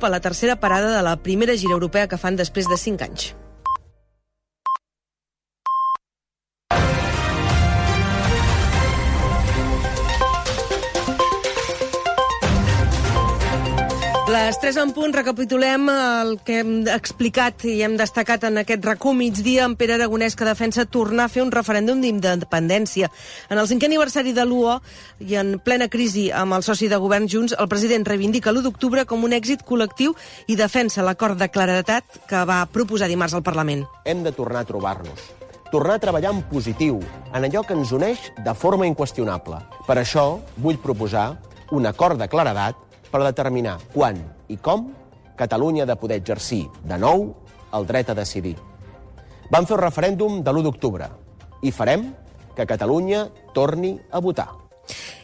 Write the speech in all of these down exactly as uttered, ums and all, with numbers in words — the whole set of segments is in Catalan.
a la tercera parada de la primera gira europea que fan després de cinc anys. Les tres en punt, recapitulem el que hem explicat i hem destacat en aquest RAC1 migdia amb Pere Aragonès, que defensa tornar a fer un referèndum d'independència. En el cinquè aniversari de l'U O i en plena crisi amb el soci de govern Junts, el president reivindica l'u d'octubre com un èxit col·lectiu i defensa l'acord de claredat que va proposar dimarts al Parlament. Hem de tornar a trobar-nos, tornar a treballar en positiu, en allò que ens uneix de forma inqüestionable. Per això vull proposar un acord de claredat per determinar quan i com Catalunya ha de poder exercir de nou el dret a decidir. Vam fer un referèndum de l'u d'octubre i farem que Catalunya torni a votar.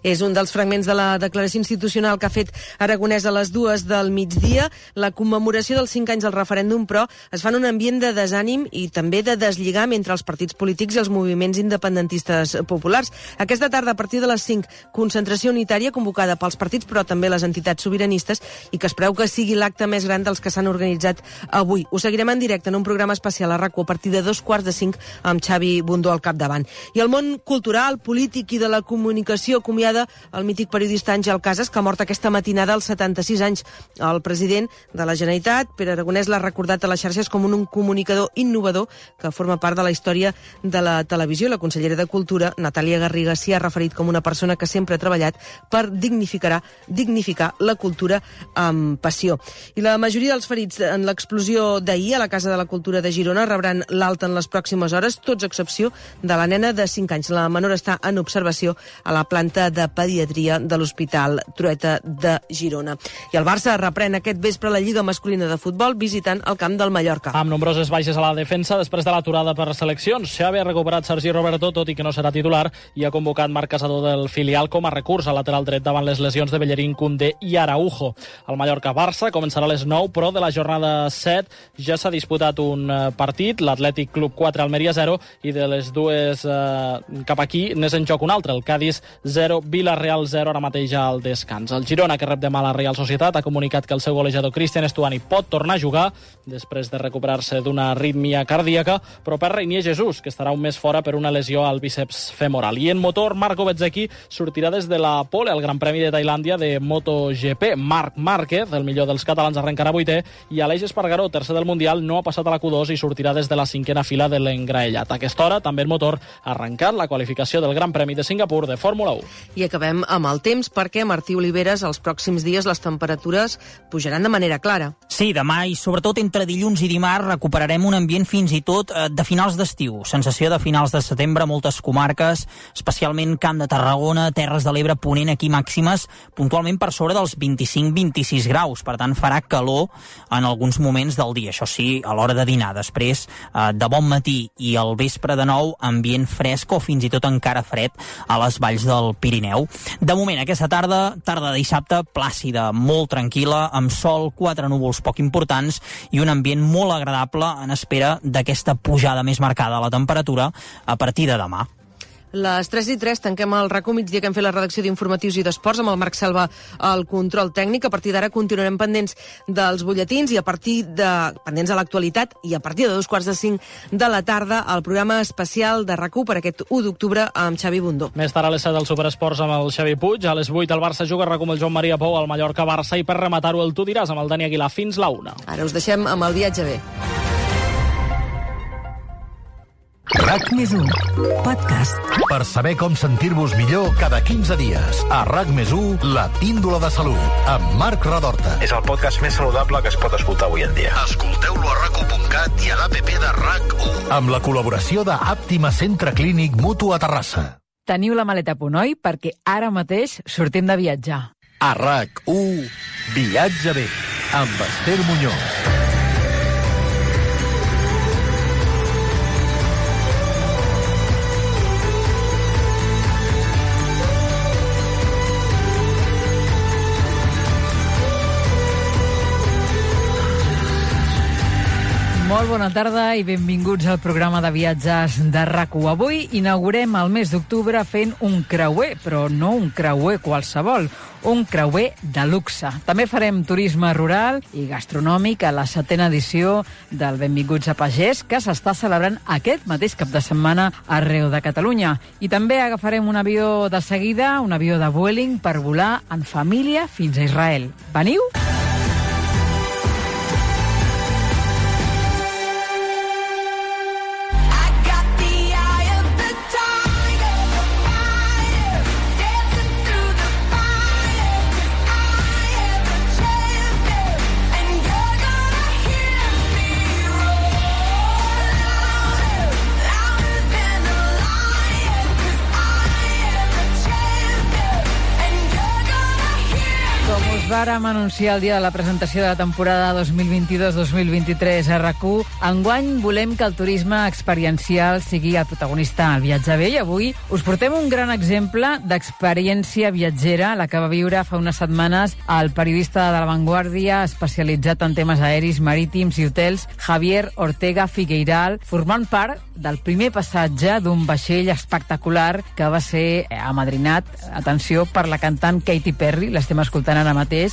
És un dels fragments de la declaració institucional que ha fet Aragonès a les dues del migdia. La commemoració dels cinc anys del referèndum, però, es fa en un ambient de desànim i també de deslligam entre els partits polítics i els moviments independentistes populars. Aquesta tarda, a partir de les cinc, concentració unitària convocada pels partits, però també les entitats sobiranistes, i que es preveu que sigui l'acte més gran dels que s'han organitzat avui. Ho seguirem en directe en un programa especial a RAC1 a partir de dos quarts de cinc amb Xavi Bundó al capdavant. I el món cultural, polític i de la comunicació acomiada el mític periodista Àngel Casas, que ha mort aquesta matinada als setanta-sis anys. El president de la Generalitat, Pere Aragonès, l'ha recordat a les xarxes com un comunicador innovador que forma part de la història de la televisió. La consellera de Cultura, Natàlia Garriga, s'hi ha referit com una persona que sempre ha treballat per dignificar, dignificar la cultura amb passió. I la majoria dels ferits en l'explosió d'ahir a la Casa de la Cultura de Girona rebran l'alta en les pròximes hores, tots a excepció de la nena de cinc anys. La menor està en observació a la planta de pediatria de l'Hospital Trueta de Girona. I el Barça reprèn aquest vespre la Lliga masculina de futbol visitant el camp del Mallorca. Amb nombroses baixes a la defensa després de l'aturada per seleccions. Xavi ha recuperat Sergi Roberto, tot i que no serà titular, i ha convocat Marc Casador del filial com a recurs al lateral dret davant les lesions de Bellerín, Koundé i Araujo. El Mallorca-Barça començarà a les nou, però de la jornada set ja s'ha disputat un partit, l'Atlètic Club quatre, Almeria zero, i de les dues eh, cap aquí n'és en joc un altre, el Cádiz zero, Villarreal zero, ara mateix al descans. El Girona, que rep demà la Real Societat, ha comunicat que el seu golejador Cristian Estuani pot tornar a jugar després de recuperar-se d'una arrítmia cardíaca, però perd Reinier Jesús, que estarà un mes fora per una lesió al bíceps femoral. I en motor, Marco Bezzecchi sortirà des de la pole al Gran Premi de Tailàndia de MotoGP. Marc Márquez, el millor dels catalans, arrencarà vuitè, i Aleix Espargaró, tercer del Mundial, no ha passat a la Q dos i sortirà des de la cinquena fila de l'engraellat. A aquesta hora, també en motor, ha arrencat la qualificació del Gran Premi de Singapur de Fórmula u. I acabem amb el temps, perquè, Martí Oliveres, els pròxims dies les temperatures pujaran de manera clara. Sí, demà i sobretot entre dilluns i dimarts recuperarem un ambient fins i tot de finals d'estiu. Sensació de finals de setembre a moltes comarques, especialment Camp de Tarragona, Terres de l'Ebre, Ponent, aquí màximes puntualment per sobre dels vint-i-cinc vint-i-sis graus. Per tant, farà calor en alguns moments del dia. Això sí, a l'hora de dinar. Després, de bon matí i al vespre de nou, ambient fresc o fins i tot encara fred a les valls del Pirineu. De moment, aquesta tarda, tarda de dissabte, plàcida, molt tranquil·la, amb sol, quatre núvols poc importants i un ambient molt agradable en espera d'aquesta pujada més marcada a la temperatura a partir de demà. Les tres i tres tanquem el RAC1 migdia que hem fet la redacció d'informatius i d'esports amb el Marc Selva al control tècnic. A partir d'ara continuarem pendents dels butlletins i a partir de pendents de l'actualitat i a partir de dos quarts de cinc de la tarda el programa especial de RAC1 per aquest u d'octubre amb Xavi Bundó. Més tard a les set del Superesports amb el Xavi Puig, a les vuit el Barça juga RAC1 amb el Joan Maria Pou al Mallorca-Barça i per rematar-ho el Tu diràs amb el Dani Aguilar fins la una. Ara us deixem amb el viatge bé. RAC més u, podcast. Per saber com sentir-vos millor cada quinze dies. A RAC més u, la píndola de salut, amb Marc Radorta. És el podcast més saludable que es pot escoltar avui en dia. Escolteu-lo a rac u punt cat i a l'app de RAC u. Amb la col·laboració de Àptima Centre Clínic Mutu a Terrassa. Teniu la maleta a punt, oi? Perquè ara mateix sortim de viatjar. A RAC u, viatge bé, amb Esther Muñoz. Molt bona tarda i benvinguts al programa de viatges de RAC u. Avui inaugurem el mes d'octubre fent un creuer, però no un creuer qualsevol, un creuer de luxe. També farem turisme rural i gastronòmic a la setena edició del Benvinguts a Pagès, que s'està celebrant aquest mateix cap de setmana arreu de Catalunya. I també agafarem un avió de seguida, un avió de Vueling, per volar en família fins a Israel. Veniu? Vàrem anunciar el dia de la presentació de la temporada dos mil vint-i-dos dos mil vint-i-tres a RAC u. Enguany volem que el turisme experiencial sigui el protagonista al viatge bé i avui us portem un gran exemple d'experiència viatgera, la que va viure fa unes setmanes el periodista de La Vanguardia especialitzat en temes aeris, marítims i hotels, Javier Ortega Figueiral, formant part del primer passatge d'un vaixell espectacular que va ser amadrinat, atenció, per la cantant Katy Perry, l'estem escoltant ara mateix,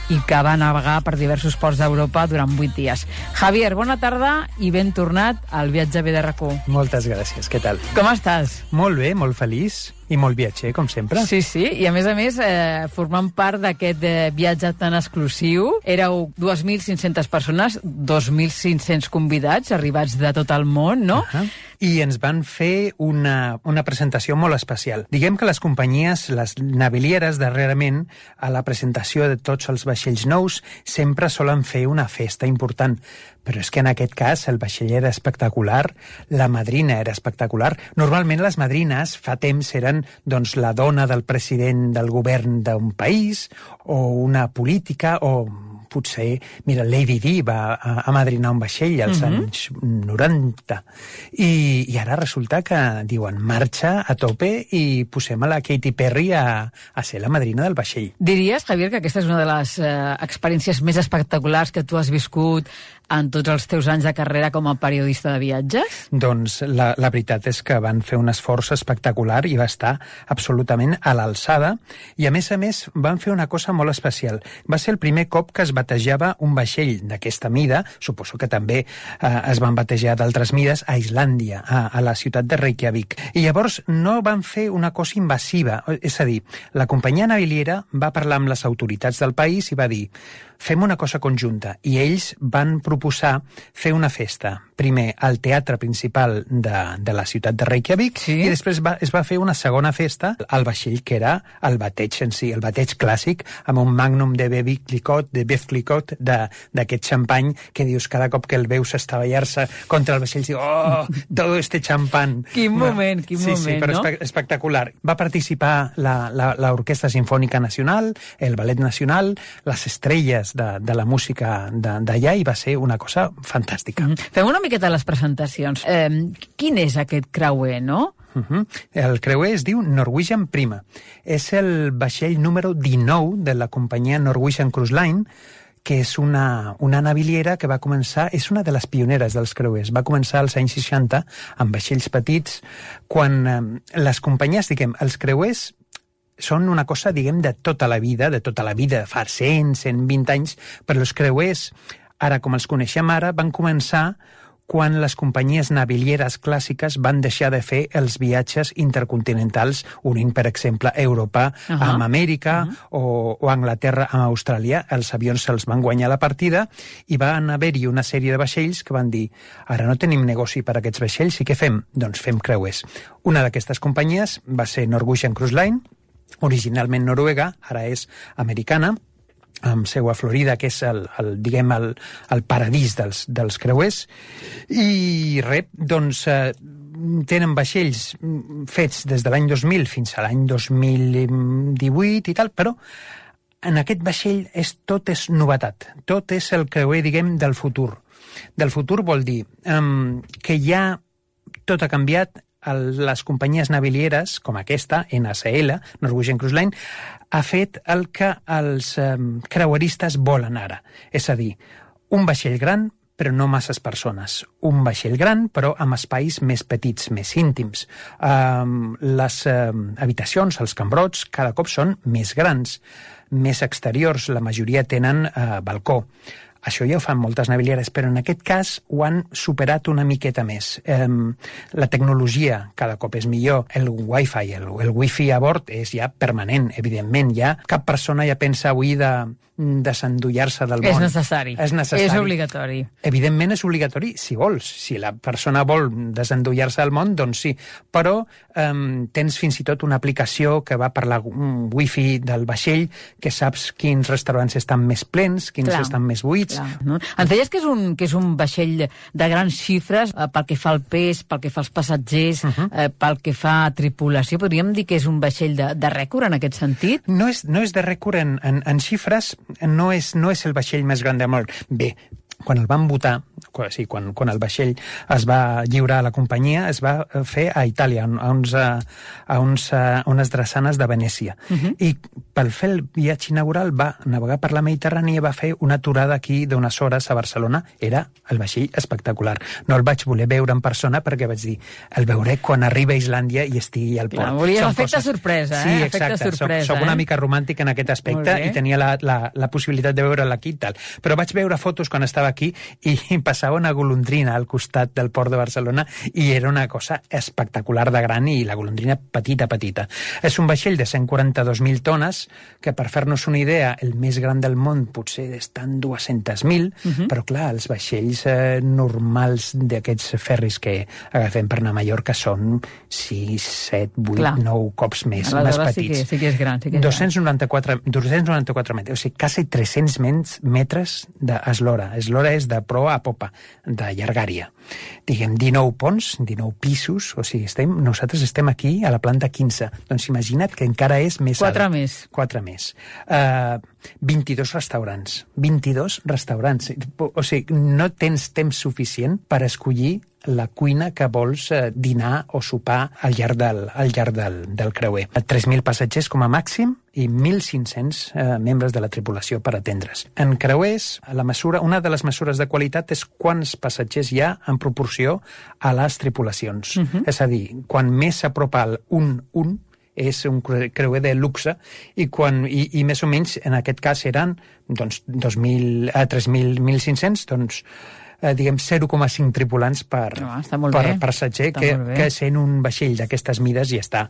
i que va navegar per diversos ports d'Europa durant vuit dies. Javier, bona tarda i ben tornat al viatge bé de RAC u. Moltes gràcies, què tal? Com estàs? Molt bé, molt feliç i molt viatger, com sempre. Sí, sí, i a més a més, eh, formant part d'aquest eh, viatge tan exclusiu, éreu dues mil cinc-centes persones, dos mil cinc-cents convidats, arribats de tot el món, no? Uh -huh. I ens van fer una, una presentació molt especial. Diguem que les companyies, les navilieres, darrerament, a la presentació de tots els vaixells nous, sempre solen fer una festa important. Però és que en aquest cas el vaixell era espectacular, la madrina era espectacular. Normalment les madrines fa temps eren doncs, la dona del president del govern d'un país, o una política, o potser, mira, Lady Di va amadrinar un vaixell als uh-huh. anys noranta. I, I ara resulta que diuen marxa a tope i posem a la Katy Perry a, a ser la madrina del vaixell. Diries, Javier, que aquesta és una de les eh, experiències més espectaculars que tu has viscut en tots els teus anys de carrera com a periodista de viatges? Doncs la, la veritat és que van fer un esforç espectacular i va estar absolutament a l'alçada, i a més a més van fer una cosa molt especial. Va ser el primer cop que es batejava un vaixell d'aquesta mida, suposo que també eh, es van batejar d'altres mides, a Islàndia, a, a la ciutat de Reykjavik. I llavors no van fer una cosa invasiva, és a dir, la companyia naviliera va parlar amb les autoritats del país i va dir fem una cosa conjunta, i ells van proposar fer una festa, primer al teatre principal de, de la ciutat de Reykjavik, sí? I després va, es va fer una segona festa al vaixell, que era el bateig en si, el bateig clàssic, amb un magnum de Bevi Clicquot, de Bev Clicquot, d'aquest xampany que dius cada cop que el veus estavellar-se contra el vaixell, diu, oh, todo este champán. Quin moment, quin sí, moment, sí, però no? Espe espectacular. Va participar l'Orquestra Simfònica Nacional, el Ballet Nacional, les estrelles de, de la música d'allà, i va ser una cosa fantàstica. Mm -hmm. Fem una miqueta les presentacions. Eh, quin és aquest creuer, no? Uh -huh. El creuer es diu Norwegian Prima. És el vaixell número dinou de la companyia Norwegian Cruise Line, que és una, una naviliera que va començar, és una de les pioneres dels creuers, va començar als anys seixanta amb vaixells petits, quan eh, les companyies, diguem, els creuers són una cosa, diguem, de tota la vida, de tota la vida, fa cent, cent vint anys, però els creuers, ara com els coneixem ara, van començar quan les companyies navilieres clàssiques van deixar de fer els viatges intercontinentals, unint, per exemple, Europa uh -huh. amb Amèrica uh -huh. o, o Anglaterra amb Austràlia. Els avions se'ls van guanyar la partida i van haver-hi una sèrie de vaixells que van dir ara no tenim negoci per a aquests vaixells i què fem? Doncs fem creuers. Una d'aquestes companyies va ser Norwegian Cruise Line, originalment noruega, ara és americana, amb seu a Florida, que és el, el, diguem, el, el paradís dels, dels creuers. I res, doncs, eh, tenen vaixells fets des de l'any dos mil fins a l'any dos mil divuit i tal, però en aquest vaixell és, tot és novetat. Tot és el creuer, diguem, del futur. Del futur vol dir um, que ja tot ha canviat. El, les companyies navilieres, com aquesta, N S L, Norwegian Cruise Line, ha fet el que els um, creueristes volen ara. És a dir, un vaixell gran però no masses persones. Un vaixell gran, però amb espais més petits, més íntims. Um, les um, habitacions, els cambrots, cada cop són més grans, més exteriors, la majoria tenen uh, balcó. Això ja ho fan moltes navilieres, però en aquest cas ho han superat una miqueta més. Eh, la tecnologia cada cop és millor, el wifi, el, el wifi a bord és ja permanent, evidentment. Ja cap persona ja pensa avui de desendollar-se del món. És necessari. És necessari. És obligatori. Evidentment és obligatori, si vols. Si la persona vol desendollar-se del món, doncs sí. Però eh, tens fins i tot una aplicació que va per la um, wifi del vaixell, que saps quins restaurants estan més plens, quins Clar. estan més buits. Clar, no? Ens deies que és, un, que és un vaixell de grans xifres eh, pel que fa al pes, pel que fa als passatgers, uh -huh. eh, pel que fa a tripulació. Podríem dir que és un vaixell de, de rècord en aquest sentit? No és, no és de rècord en, en, en xifres, no és, no és el vaixell més gran del món. Bé, quan el van votar, quan, sí, quan, quan el vaixell es va lliurar a la companyia, es va fer a Itàlia, a, uns, a, uns, a unes drassanes de Venècia. Uh -huh. I per fer el viatge inaugural va navegar per la Mediterrània i va fer una aturada aquí d'unes hores a Barcelona. Era el vaixell espectacular. No el vaig voler veure en persona perquè vaig dir, el veuré quan arribi a Islàndia i estigui al port. Clar, volia efecte coses... sorpresa, eh? Sí, exacte. Efecte sorpresa, soc, soc una eh? mica romàntic en aquest aspecte i tenia la, la, la possibilitat de veure-la aquí i tal. Però vaig veure fotos quan estava aquí i passava una golondrina al costat del port de Barcelona i era una cosa espectacular de gran i la golondrina petita, petita. És un vaixell de cent quaranta-dos mil tones que, per fer-nos una idea, el més gran del món potser estan dues-centes mil, uh -huh. però clar, els vaixells eh, normals d'aquests ferris que agafem per anar a Mallorca són sis, set, vuit, nou cops més, més petits. Sí que, sí que és gran. Sí que és dos cents noranta-quatre, dos cents noranta-quatre metres, o sigui, quasi tres-cents metres d'eslora. Eslora és de proa a popa, de llargària. Diguem, dinou ponts, dinou pisos, o sigui, estem, nosaltres estem aquí a la planta quinze. Doncs imagina't que encara és més Quatre alt. més. Quatre més. Uh, vint-i-dos restaurants. vint-i-dos restaurants. O sigui, no tens temps suficient per escollir la cuina que vols eh, dinar o sopar al llarg del, al llarg del, del creuer. tres mil passatgers com a màxim i mil cinc-cents eh, membres de la tripulació per atendre's. En creuers, la mesura, una de les mesures de qualitat és quants passatgers hi ha en proporció a les tripulacions. Uh -huh. És a dir, quan més s'apropa al un un, és un creuer de luxe i, quan, i, i més o menys en aquest cas eren doncs, dos mil, eh, tres mil, mil cinc-cents, doncs Eh, diguem, zero coma cinc tripulants per, no, per passatger, que, que sent un vaixell d'aquestes mides ja està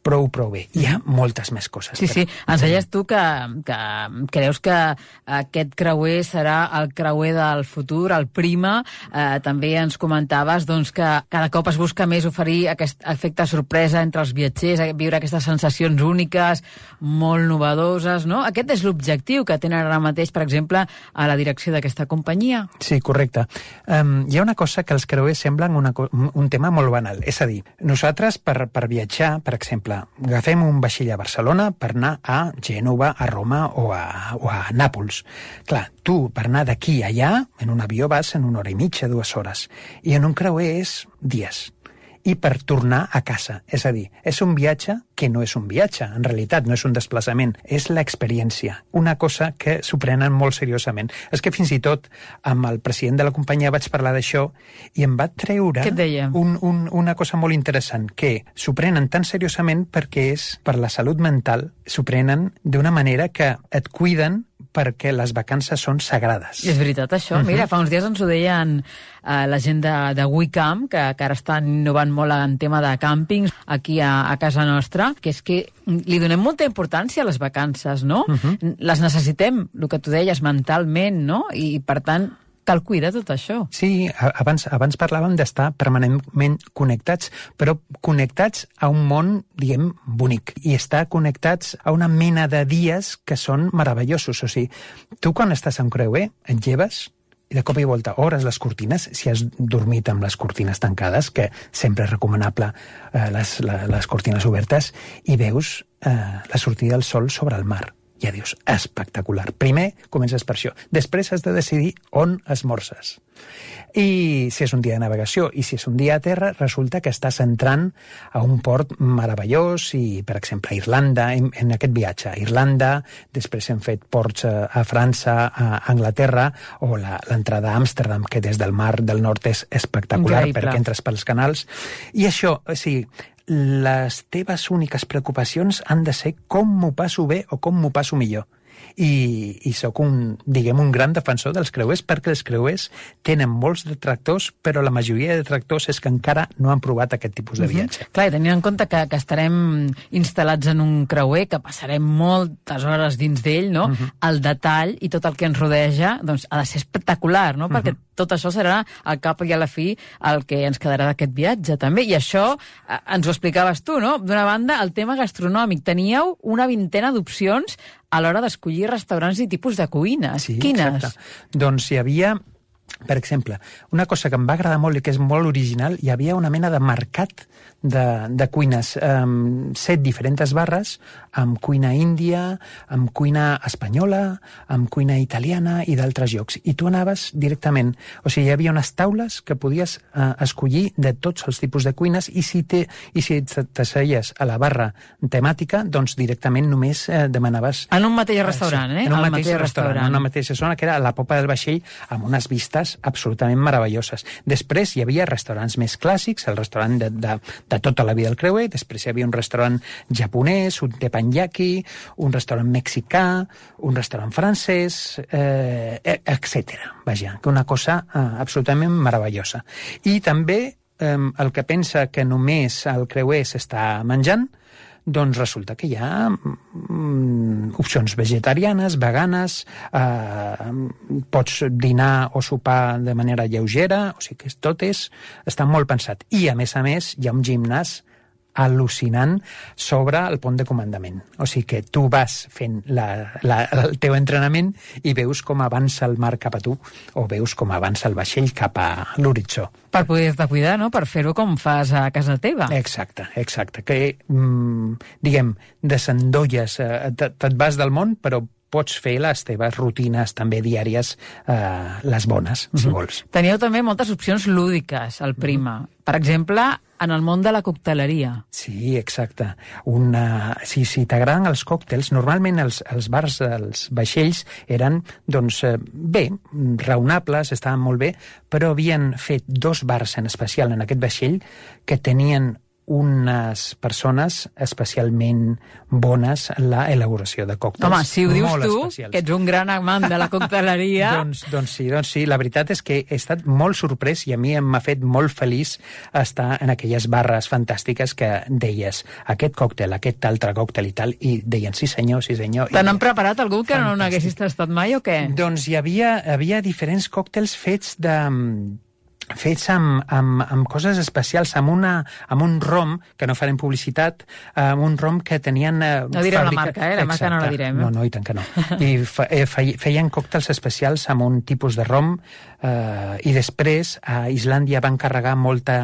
prou, prou bé. Hi ha moltes més coses. Sí, sí. Ens deies tu que, que creus que aquest creuer serà el creuer del futur, el Prima. Eh, també ens comentaves doncs, que cada cop es busca més oferir aquest efecte sorpresa entre els viatgers, viure aquestes sensacions úniques, molt novedoses, no? Aquest és l'objectiu que tenen ara mateix, per exemple, a la direcció d'aquesta companyia. Sí, correcte. Um, hi ha una cosa que els creuers semblen una, un tema molt banal. És a dir, nosaltres per, per viatjar, per exemple, agafem un vaixell a Barcelona per anar a Gènova, a Roma o a, o a Nàpols. Clar, tu per anar d'aquí a allà, en un avió vas en una hora i mitja, dues hores. I en un creuer és dies. I per tornar a casa. És a dir, és un viatge que no és un viatge, en realitat no és un desplaçament, és l'experiència. Una cosa que s'ho prenen molt seriosament. És que fins i tot amb el president de la companyia vaig parlar d'això i em va treure un, un, una cosa molt interessant, que s'ho prenen tan seriosament perquè és per la salut mental, s'ho prenen d'una manera que et cuiden perquè les vacances són sagrades. I és veritat, això. Uh-huh. Mira, fa uns dies ens ho deien eh, la gent de, de WeCamp, que, que ara estan innovant molt en tema de càmpings aquí a, a casa nostra, que és que li donem molta importància a les vacances, no? Uh-huh. Les necessitem, el que tu deies, mentalment, no? I, per tant, cal cuidar tot això. Sí, abans, abans parlàvem d'estar permanentment connectats, però connectats a un món, diguem, bonic, i estar connectats a una mena de dies que són meravellosos. O sigui, tu quan estàs a un creuer, et lleves i de cop i volta obres les cortines, si has dormit amb les cortines tancades, que sempre és recomanable eh, les, les cortines obertes, i veus eh, la sortida del sol sobre el mar. ja dius, espectacular. Primer comences per això. Després has de decidir on esmorces. I si és un dia de navegació i si és un dia a terra, resulta que estàs entrant a un port meravellós i, per exemple, a Irlanda, en, en aquest viatge a Irlanda, després hem fet ports a, a França, a Anglaterra, o l'entrada a Amsterdam, que des del mar del nord és espectacular, increïble, perquè entres pels canals. I això, o sigui, les teves úniques preocupacions han de ser com m'ho passo bé o com m'ho passo millor. I, i sóc un, diguem, un gran defensor dels creuers, perquè els creuers tenen molts detractors, però la majoria de detractors és que encara no han provat aquest tipus de viatge. Uh-huh. Clar, i tenint en compte que, que estarem instal·lats en un creuer, que passarem moltes hores dins d'ell, no? Uh-huh. El detall i tot el que ens rodeja doncs, ha de ser espectacular, no? Uh-huh. Perquè tot això serà al cap i a la fi el que ens quedarà d'aquest viatge, també. I això eh, ens ho explicaves tu, no? D'una banda, el tema gastronòmic. Teníeu una vintena d'opcions a l'hora d'escollir restaurants i tipus de cuines. Sí, quines? Exacte. Doncs hi havia, per exemple, una cosa que em va agradar molt i que és molt original, hi havia una mena de mercat de, de cuines, um, set diferents barres, amb cuina índia, amb cuina espanyola, amb cuina italiana i d'altres llocs. I tu anaves directament, o sigui, hi havia unes taules que podies uh, escollir de tots els tipus de cuines i si te, i si t'asseies a la barra temàtica, doncs directament només uh, demanaves... En un mateix restaurant, eh? En un Al mateix, mateix restaurant, restaurant, en una mateixa zona, que era a la popa del vaixell, amb unes vistes absolutament meravelloses. Després hi havia restaurants més clàssics, el restaurant de, de, de tota la vida del creuer, després hi havia un restaurant japonès, un teppanyaki, un restaurant mexicà, un restaurant francès, eh, etcètera. Vaja, una cosa eh, absolutament meravellosa. I també eh, el que pensa que només el creuer s'està menjant, doncs resulta que hi ha mm, opcions vegetarianes, veganes, eh, pots dinar o sopar de manera lleugera, o sigui que tot és, està molt pensat. I, a més a més, hi ha un gimnàs al·lucinant sobre el pont de comandament. O sigui que tu vas fent la, la, el teu entrenament i veus com avança el mar cap a tu o veus com avança el vaixell cap a l'horitzó. Per poder-te cuidar, no? Per fer-ho com fas a casa teva. Exacte, exacte. Que, mm, diguem, desendolles, eh, te't vas del món, però pots fer les teves rutines també diàries, eh, les bones, si Mm-hmm. vols. Teníeu també moltes opcions lúdiques al Prima. Mm-hmm. Per exemple, en el món de la cocteleria. Sí, exacte. Una... Si, si t'agraden els còctels, normalment els, els bars, els vaixells, eren, doncs, bé, raonables, estaven molt bé, però havien fet dos bars en especial en aquest vaixell que tenien unes persones especialment bones en la elaboració de còctels. Home, si ho dius molt tu, especials. que ets un gran amant de la cocteleria... doncs, doncs sí, doncs sí, la veritat és que he estat molt sorprès i a mi m'ha fet molt feliç estar en aquelles barres fantàstiques que deies aquest còctel, aquest altre còctel i tal, i deien sí senyor, sí senyor. Te n'han preparat algú que Fantàstic. No n'haguessis tastat mai o què? Doncs hi havia, havia diferents còctels fets de... fets amb, amb, amb coses especials, amb, una, amb un rom, que no farem publicitat, amb un rom que tenien... Eh, no direm fàbrica... la marca, eh? La marca Exacte. No la direm. No, no, i tant que no. I fe, eh, feien còctels especials amb un tipus de rom, eh, i després a Islàndia van carregar molta,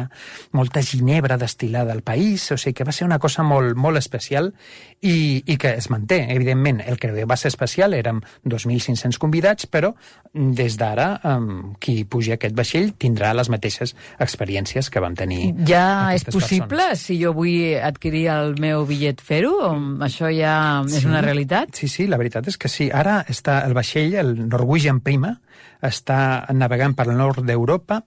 molta ginebra destil·lada al país, o sigui que va ser una cosa molt, molt especial i, i que es manté, evidentment. El creuer va ser especial, érem dos mil cinc-cents convidats, però des d'ara eh, qui pugi a aquest vaixell tindrà les mateixes experiències que vam tenir. Ja és possible, persones. Si jo vull adquirir el meu bitllet, fer-ho? Això ja és sí, una realitat? Sí, sí, la veritat és que sí. Ara està el vaixell, el Norwegian Prima, està navegant per el nord d'Europa.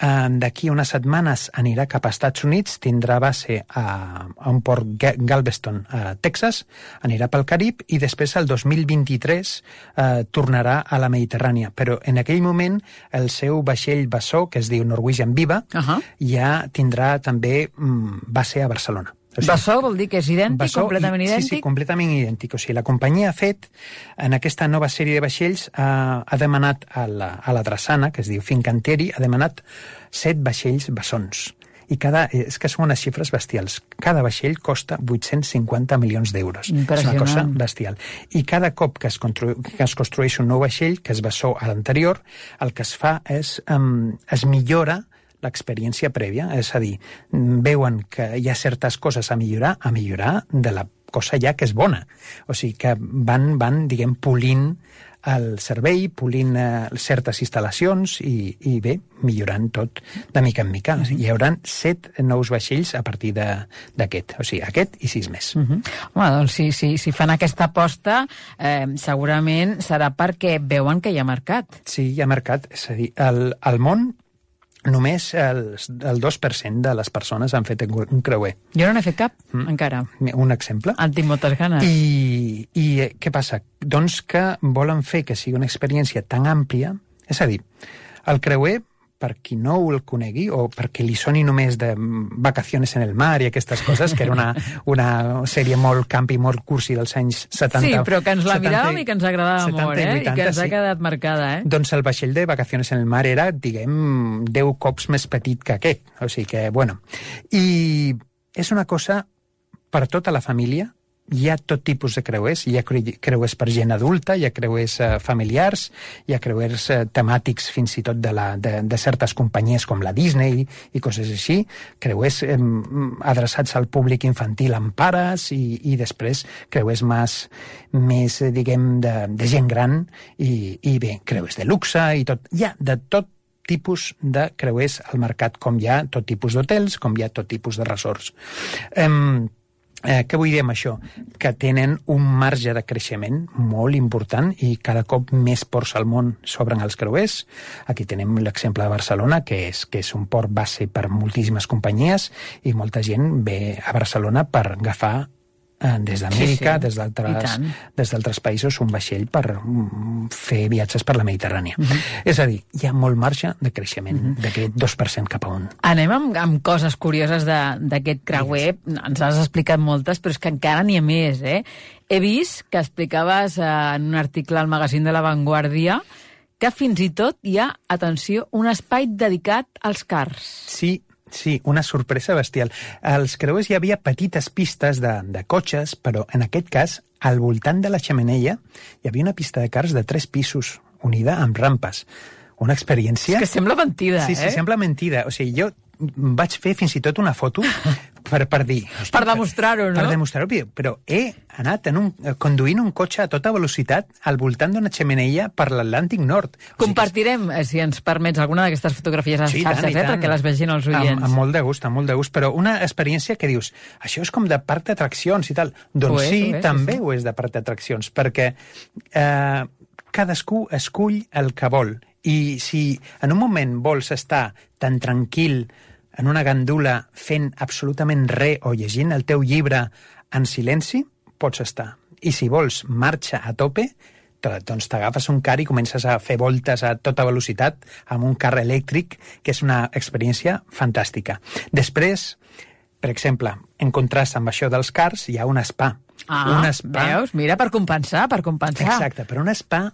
D'aquí unes setmanes anirà cap als Estats Units, tindrà base a, a un port Galveston, a Texas, anirà pel Carib i després el dos mil vint-i-tres eh, tornarà a la Mediterrània. Però en aquell moment el seu vaixell bessó, que es diu Norwegian Viva, uh-huh. ja tindrà també mm, base a Barcelona. O sigui, Bessó vol dir que és idèntic, Bessó, completament i, idèntic? Sí, sí, completament idèntic. O sigui, la companyia ha fet, en aquesta nova sèrie de vaixells, ha, ha demanat a la, a la drassana, que es diu Fincantieri, ha demanat set vaixells bessons. I cada, és que són unes xifres bestials. Cada vaixell costa vuit-cents cinquanta milions d'euros. És una cosa bestial. I cada cop que es, constru, que es construeix un nou vaixell, que es bessó a l'anterior, el que es fa és, um, es millora l'experiència prèvia, és a dir, veuen que hi ha certes coses a millorar, a millorar de la cosa ja que és bona. O sigui que van, van diguem, polint el servei, polint eh, certes instal·lacions i, i bé, millorant tot de mica en mica. Mm-hmm. Hi haurà set nous vaixells a partir d'aquest, o sigui, aquest i sis més. Mm-hmm. Home, doncs si, si, si fan aquesta aposta, eh, segurament serà perquè veuen que hi ha mercat. Sí, hi ha mercat. És a dir, el, el món només el, el dos per cent de les persones han fet un creuer. Jo no n'he fet cap, mm. encara. Un exemple. En tinc moltes ganes. I, I què passa? Doncs que volen fer que sigui una experiència tan àmplia, és a dir, el creuer, per qui no el conegui, o perquè li soni només de Vacaciones en el mar i aquestes coses, que era una, una sèrie molt campi, molt cursi dels anys setanta. Sí, però que ens la miràvem i que ens agradava molt, eh? I que ens ha quedat marcada, eh? Doncs el vaixell de Vacaciones en el mar era, diguem, deu cops més petit que aquest. O sigui que, bueno... I és una cosa per tota la família. Hi ha tot tipus de creuers, hi ha creuers per gent adulta, hi ha creuers uh, familiars, hi ha creuers uh, temàtics fins i tot de, la, de, de certes companyies com la Disney i coses així, creuers um, adreçats al públic infantil amb pares i, i després creuers més, més diguem, de, de gent gran i, i bé, creuers de luxe i tot. Hi ha de tot tipus de creuers al mercat, com hi ha tot tipus d'hotels, com hi ha tot tipus de resorts. Um, Eh, què vull dir amb això? Que tenen un marge de creixement molt important i cada cop més ports al món s'obren els creuers. Aquí tenim l'exemple de Barcelona, que és, que és un port base per moltíssimes companyies i molta gent ve a Barcelona per agafar eh, des d'Amèrica, sí, sí. des d'altres països, un vaixell per um, fer viatges per la Mediterrània. Uh-huh. És a dir, hi ha molt marge de creixement, uh-huh. d'aquest dos per cent cap a un. Anem amb, amb coses curioses d'aquest creuer. Ens has explicat moltes, però és que encara n'hi ha més, eh? He vist que explicaves eh, en un article al magazín de La Vanguardia que fins i tot hi ha, atenció, un espai dedicat als cars. Sí, Sí, una sorpresa bestial. Als creuers hi havia petites pistes de, de cotxes, però en aquest cas, al voltant de la xemeneia, hi havia una pista de cars de tres pisos, unida amb rampes. Una experiència... És que sembla mentida, sí, eh? Sí, sembla mentida. O sigui, jo vaig fer fins i tot una foto per, per dir... Per demostrar-ho, no? Per demostrar-ho, però he anat en un, conduint un cotxe a tota velocitat al voltant d'una xemeneia per l'Atlàntic Nord. Compartirem, o sigui, si ens permets, alguna d'aquestes fotografies a les sí, xarxes, eh, perquè les vegin els oients. Amb, amb molt de gust, amb molt de gust, però una experiència que dius, això és com de parc d'atraccions i tal. Doncs és, sí, és, també sí, sí. ho és de parc d'atraccions, perquè eh, cadascú escull el que vol. I si en un moment vols estar tan tranquil en una gandula fent absolutament res o llegint el teu llibre en silenci, pots estar. I si vols marxa a tope, doncs t'agafes un car i comences a fer voltes a tota velocitat amb un car elèctric, que és una experiència fantàstica. Després, per exemple, en contrast amb això dels cars, hi ha un spa. Ah, un spa... veus? Mira, per compensar, per compensar. Exacte, però un spa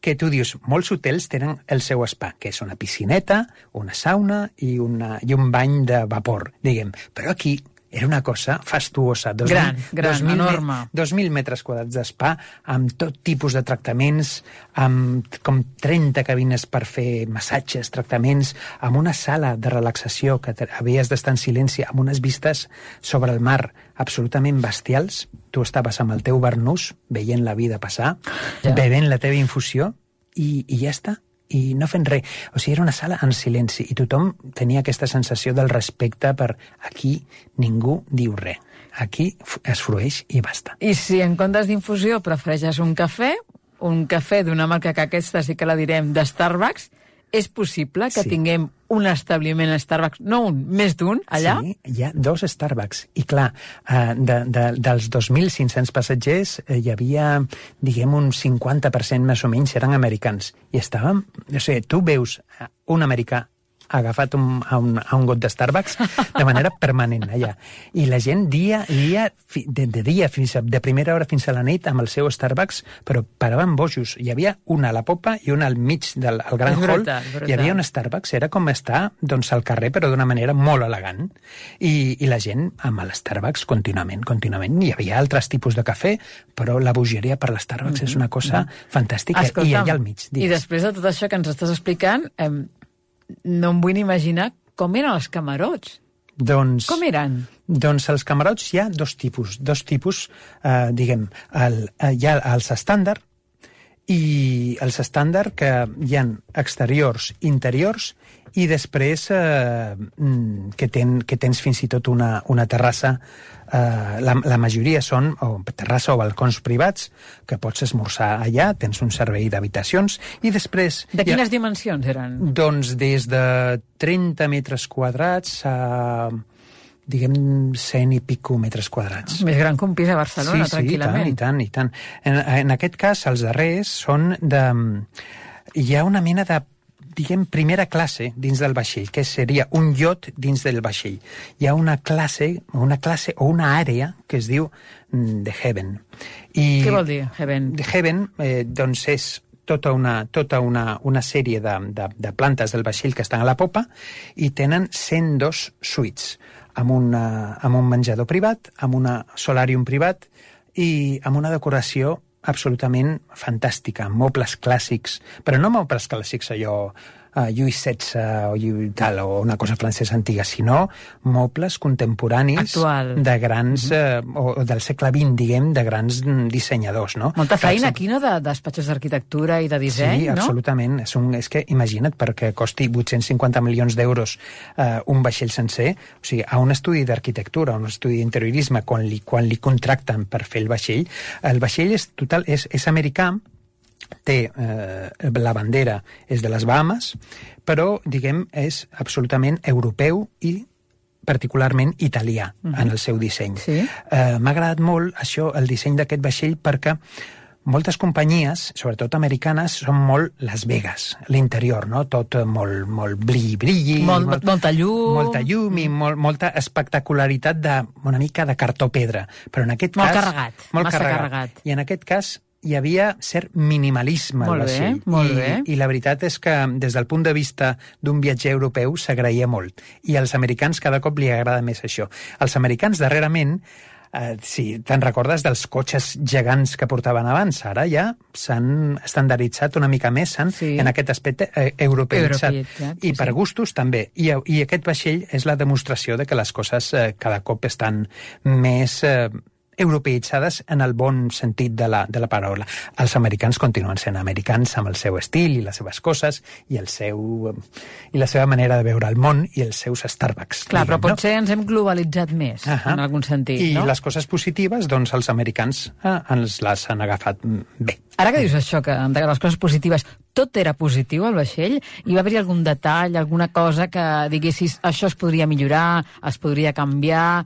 que tu dius, molts hotels tenen el seu spa, que és una piscineta, una sauna i, una, i un bany de vapor, diguem. Però aquí era una cosa fastuosa. Dos gran, mil, gran, dos mil, enorme. Dos mil metres quadrats d'espa, amb tot tipus de tractaments, amb com trenta cabines per fer massatges, tractaments, amb una sala de relaxació que havies d'estar en silenci, amb unes vistes sobre el mar absolutament bestials. Tu estaves amb el teu barnús, veient la vida passar, ja. bevent la teva infusió, i, i ja està. I no fent res. O sigui, era una sala en silenci i tothom tenia aquesta sensació del respecte per aquí ningú diu res. Aquí es frueix i basta. I si en comptes d'infusió prefereixes un cafè, un cafè d'una marca que aquesta sí que la direm, de Starbucks, és possible que sí. tinguem un establiment Starbucks, no un, més d'un, allà? Sí, hi ha dos Starbucks. I clar, eh, de, de, dels dos mil cinc-cents passatgers eh, hi havia, diguem, un cinquanta per cent més o menys eren americans. I estàvem... O sigui, tu veus un americà agafat un, a, un, a un got de Starbucks de manera permanent allà. I la gent dia, dia de, de dia fins a, de primera hora fins a la nit amb el seu Starbucks, però paraven bojos. Hi havia una a la popa i una al mig del al gran hall. Brutal, brutal. Hi havia un Starbucks, era com estar doncs, al carrer, però d'una manera molt elegant. I, i la gent amb el Starbucks contínuament, contínuament. Hi havia altres tipus de cafè, però la bogeria per l'Starbucks mm-hmm. és una cosa mm-hmm. fantàstica. Escolta'm, i allà al mig. Digues. I després de tot això que ens estàs explicant, eh, no em vull ni imaginar com eren els camarots. Doncs, Com eren? Doncs els camarots hi ha dos tipus, dos tipus, eh, diguem, el, hi ha els estàndard, i els estàndard que hi ha exteriors, interiors, i després eh, que, ten, que tens fins i tot una, una terrassa, eh, la, la majoria són o terrassa o balcons privats, que pots esmorzar allà, tens un servei d'habitacions, i després... De quines ha, dimensions eren? Doncs des de trenta metres quadrats a... diguem, cent i pico metres quadrats. Més gran que un pis a Barcelona, sí, tranquil·lament. Sí, i tant, i tant, i tant. En, en aquest cas, els darrers són de... Hi ha una mena de, diguem, primera classe dins del vaixell, que seria un iot dins del vaixell. Hi ha una classe, una classe o una àrea que es diu The Heaven. I Què vol dir, Heaven? The Heaven, eh, doncs és tota una, tota una, una sèrie de, de, de plantes del vaixell que estan a la popa i tenen cent dos suites, amb, una, amb un menjador privat, amb un solàrium privat i amb una decoració absolutament fantàstica, amb mobles clàssics, però no mobles clàssics allò uh, Lluís setze o, tal, o una cosa francesa antiga, sinó mobles contemporanis actual, de grans, mm-hmm. uh, o, o del segle vint, diguem, de grans dissenyadors, no? Molta feina aquí, no?, de despatxos d'arquitectura i de disseny, sí, no? Sí, absolutament. És, un, és que imagina't, perquè costi vuit-cents cinquanta milions d'euros uh, un vaixell sencer, o sigui, a un estudi d'arquitectura, a un estudi d'interiorisme, quan li, quan li contracten per fer el vaixell, el vaixell és total, és, és americà, té eh, la bandera és de les Bahamas, però, diguem, és absolutament europeu i particularment italià uh-huh. en el seu disseny. Sí? Eh, m'ha agradat molt això, el disseny d'aquest vaixell, perquè moltes companyies, sobretot americanes, són molt Las Vegas, l'interior, no? Tot molt, molt brilli-brilli. Molt, molt, molta llum. Molta llum i molt, molta espectacularitat de una mica de cartó-pedra. Però en aquest molt cas... Carregat, molt massa carregat. carregat. I en aquest cas hi havia cert minimalisme al vaixell. Molt I, bé. I la veritat és que des del punt de vista d'un viatger europeu s'agraïa molt. I als americans cada cop li agrada més això. Els americans darrerament, eh, si te'n recordes dels cotxes gegants que portaven abans, ara ja s'han estandarditzat una mica més, s'han sí. en aquest aspecte eh, europeitzat. Europeitzat, I per sí. gustos també. I, I aquest vaixell és la demostració de que les coses eh, cada cop estan més... Eh, europeitzades en el bon sentit de la, de la paraula. Els americans continuen sent americans amb el seu estil i les seves coses i el seu i la seva manera de veure el món i els seus Starbucks. Clar, diguem, però potser no? ens hem globalitzat més, uh-huh. en algun sentit, I no? I les coses positives, doncs els americans eh, ens les han agafat bé. Ara que dius això, que de les coses positives, tot era positiu al vaixell? Hi va haver algun detall, alguna cosa que diguessis això es podria millorar, es podria canviar...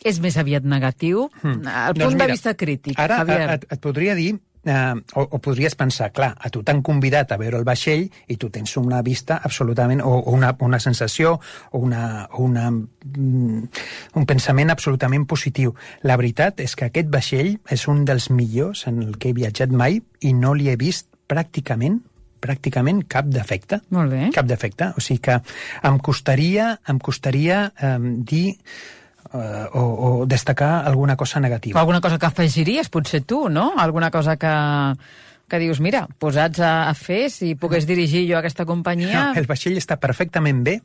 És més aviat negatiu? Hmm. El punt doncs mira, de vista crític, ara Javier. Et, et podria dir, eh, o, o podries pensar, clar, a tu t'han convidat a veure el vaixell i tu tens una vista absolutament, o, o una, una sensació, o una, una, un pensament absolutament positiu. La veritat és que aquest vaixell és un dels millors en el que he viatjat mai i no li he vist pràcticament pràcticament cap defecte. Molt bé. Cap defecte. O sigui que em costaria, em costaria eh, dir... Uh, o, o destacar alguna cosa negativa. O alguna cosa que afegiries, potser tu, no? Alguna cosa que, que dius, mira, posats a, a fer, si pogués dirigir jo aquesta companyia... No, el vaixell està perfectament bé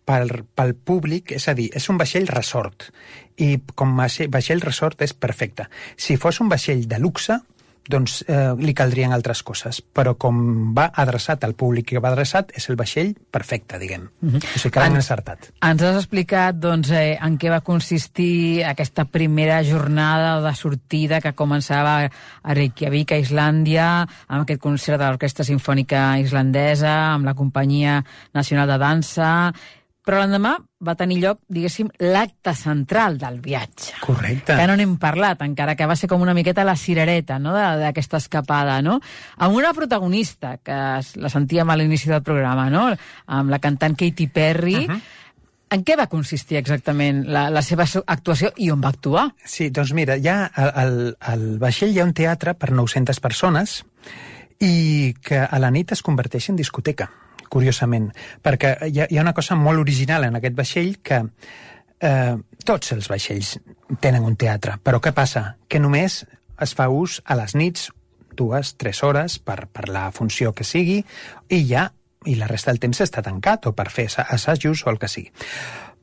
pel, pel públic, és a dir, és un vaixell resort, i com a vaixell resort és perfecte. Si fos un vaixell de luxe, doncs eh, li caldrien altres coses, però com va adreçat al públic que va adreçat, és el vaixell perfecte, diguem. Uh-huh. O sigui que l'han encertat. Ens has explicat doncs, eh, en què va consistir aquesta primera jornada de sortida que començava a Reykjavik, a Islàndia, amb aquest concert de l'Orquestra Simfònica Islandesa, amb la Companyia Nacional de Dansa... Però l'endemà va tenir lloc, diguéssim, l'acte central del viatge. Correcte. Que no n'hem parlat, encara que va ser com una miqueta la cirereta, no?, d'aquesta escapada, no? Amb una protagonista, que la sentíem a l'inici del programa, no?, amb la cantant Katy Perry. Uh-huh. En què va consistir exactament la, la seva actuació i on va actuar? Sí, doncs mira, ja al, al vaixell hi ha un teatre per nou-centes persones i que a la nit es converteix en discoteca, curiosament, perquè hi ha, hi ha una cosa molt original en aquest vaixell que eh, tots els vaixells tenen un teatre, però què passa? Que només es fa ús a les nits, dues, tres hores, per, per la funció que sigui, i ja, i la resta del temps està tancat, o per fer assajos o el que sigui.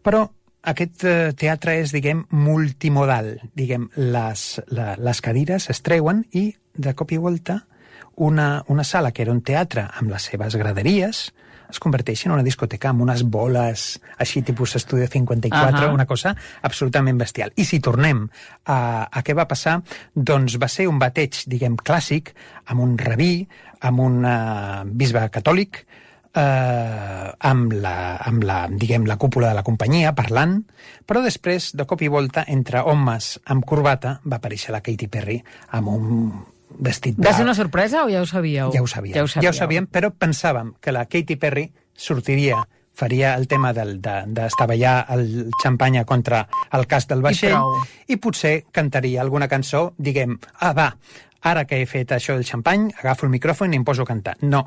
Però aquest eh, teatre és, diguem, multimodal. Diguem, les, la, les cadires es treuen i, de cop i volta, una, una sala que era un teatre amb les seves graderies es converteix en una discoteca amb unes boles així tipus Estudio cinquanta-quatre, uh-huh. una cosa absolutament bestial. I si tornem a, a què va passar, doncs va ser un bateig, diguem, clàssic, amb un rabí, amb un uh, bisbe catòlic, eh, amb, la, amb la, diguem, la cúpula de la companyia, parlant, però després, de cop i volta, entre homes amb corbata, va aparèixer la Katy Perry amb un vestit blau. Va ser una sorpresa o ja ho sabíeu? Ja ho sabíem, ja ho, ja ho sabíem, però pensàvem que la Katy Perry sortiria, faria el tema d'estavellar de, de el xampanya contra el casc del vaixell i, i potser cantaria alguna cançó, diguem, ah, va, ara que he fet això del xampany, agafo el micròfon i em poso a cantar. No,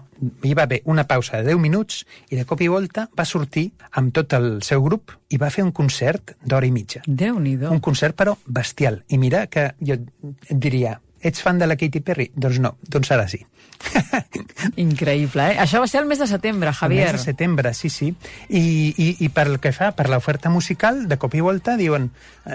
hi va haver una pausa de deu minuts i de cop i volta va sortir amb tot el seu grup i va fer un concert d'hora i mitja. Déu-n'hi-do. Un concert, però, bestial. I mira que jo et diria, ets fan de la Katy Perry? Doncs no, doncs ara sí. Increïble, eh? Això va ser el mes de setembre, Javier. El mes de setembre, sí, sí. I, i, i per el que fa, per l'oferta musical, de cop i volta, diuen,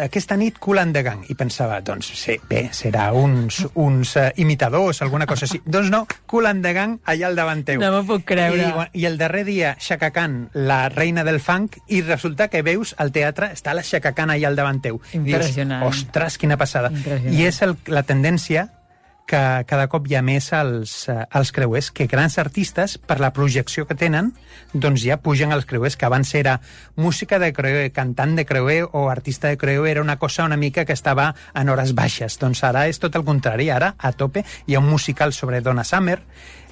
aquesta nit Kool and the Gang. I pensava, doncs sí, bé, serà uns, uns uh, imitadors, alguna cosa així. Doncs no, Kool and the Gang allà al davant teu. No m'ho puc creure. I, I el darrer dia, Chaka Khan, la reina del funk, i resulta que veus al teatre, està la Chaka Khan allà al davant teu. Impressionant. Dius, ostres, quina passada. I és el, la tendència que cada cop hi ha més als, als creuers, que grans artistes, per la projecció que tenen, doncs ja pugen als creuers, que abans era música de creuer, cantant de creuer o artista de creuer, era una cosa una mica que estava en hores baixes. Doncs ara és tot el contrari, ara a tope hi ha un musical sobre Donna Summer,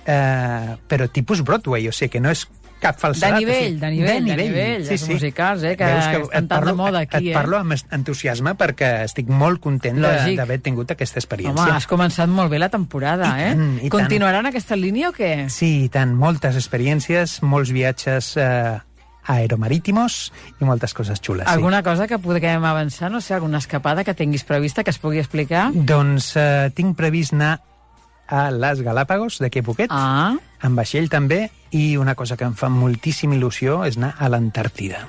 eh, però tipus Broadway, o sigui que no és cap falsedat. De nivell, de nivell, de nivell, de nivell sí, sí. musicals, eh, que, que estan tan de moda aquí. Et parlo eh? amb entusiasme perquè estic molt content d'haver tingut aquesta experiència. Home, has començat molt bé la temporada, I eh? Tant, i Continuaran tant. Aquesta línia o què? Sí, i tant. Moltes experiències, molts viatges eh, aeromarítimos i moltes coses xules. Alguna sí. cosa que puguem avançar? No sé, alguna escapada que tinguis prevista que es pugui explicar? Doncs eh, tinc previst anar a les Galàpagos, d'aquí a poquet, ah. amb vaixell també, i una cosa que em fa moltíssima il·lusió és anar a l'Antàrtida.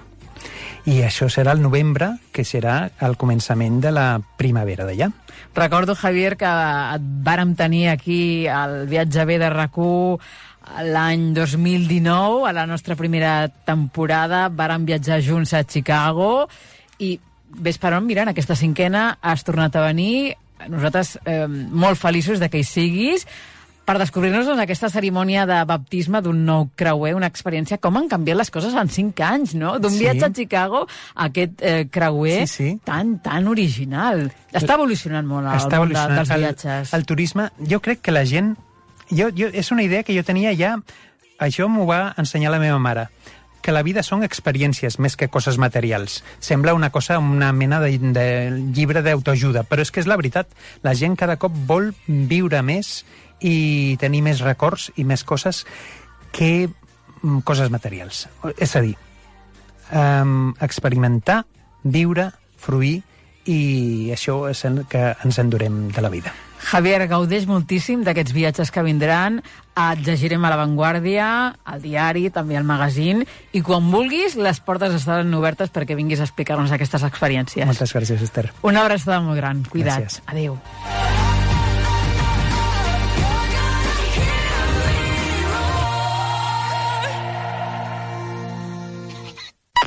I això serà el novembre, que serà el començament de la primavera d'allà. Recordo, Javier, que et vàrem tenir aquí al Viatge B de R A C u l'any dos mil dinou, a la nostra primera temporada, vàrem viatjar junts a Chicago, i ves per on, mira, en aquesta cinquena has tornat a venir, nosaltres eh, molt feliços de que hi siguis, per descobrir-nos doncs, aquesta cerimònia de baptisme d'un nou creuer, una experiència, com han canviat les coses en cinc anys, no? D'un sí. viatge a Chicago a aquest eh, creuer sí, sí. tan, tan original. Està evolucionant molt el Està món de, dels viatges. El, el turisme, jo crec que la gent... Jo, jo, és una idea que jo tenia ja... Això m'ho va ensenyar la meva mare, que la vida són experiències més que coses materials. Sembla una cosa, una mena de, de llibre d'autoajuda, però és que és la veritat. La gent cada cop vol viure més i tenir més records i més coses que coses materials. És a dir, um, experimentar, viure, fruir, i això és el que ens endurem de la vida. Javier, gaudeix moltíssim d'aquests viatges que vindran. Et llegirem a La Vanguardia, al diari, també al magazín, i quan vulguis, les portes estaran obertes perquè vinguis a explicar-nos aquestes experiències. Moltes gràcies, Esther. Una abraçada molt gran. Cuida't. Gràcies. Adéu.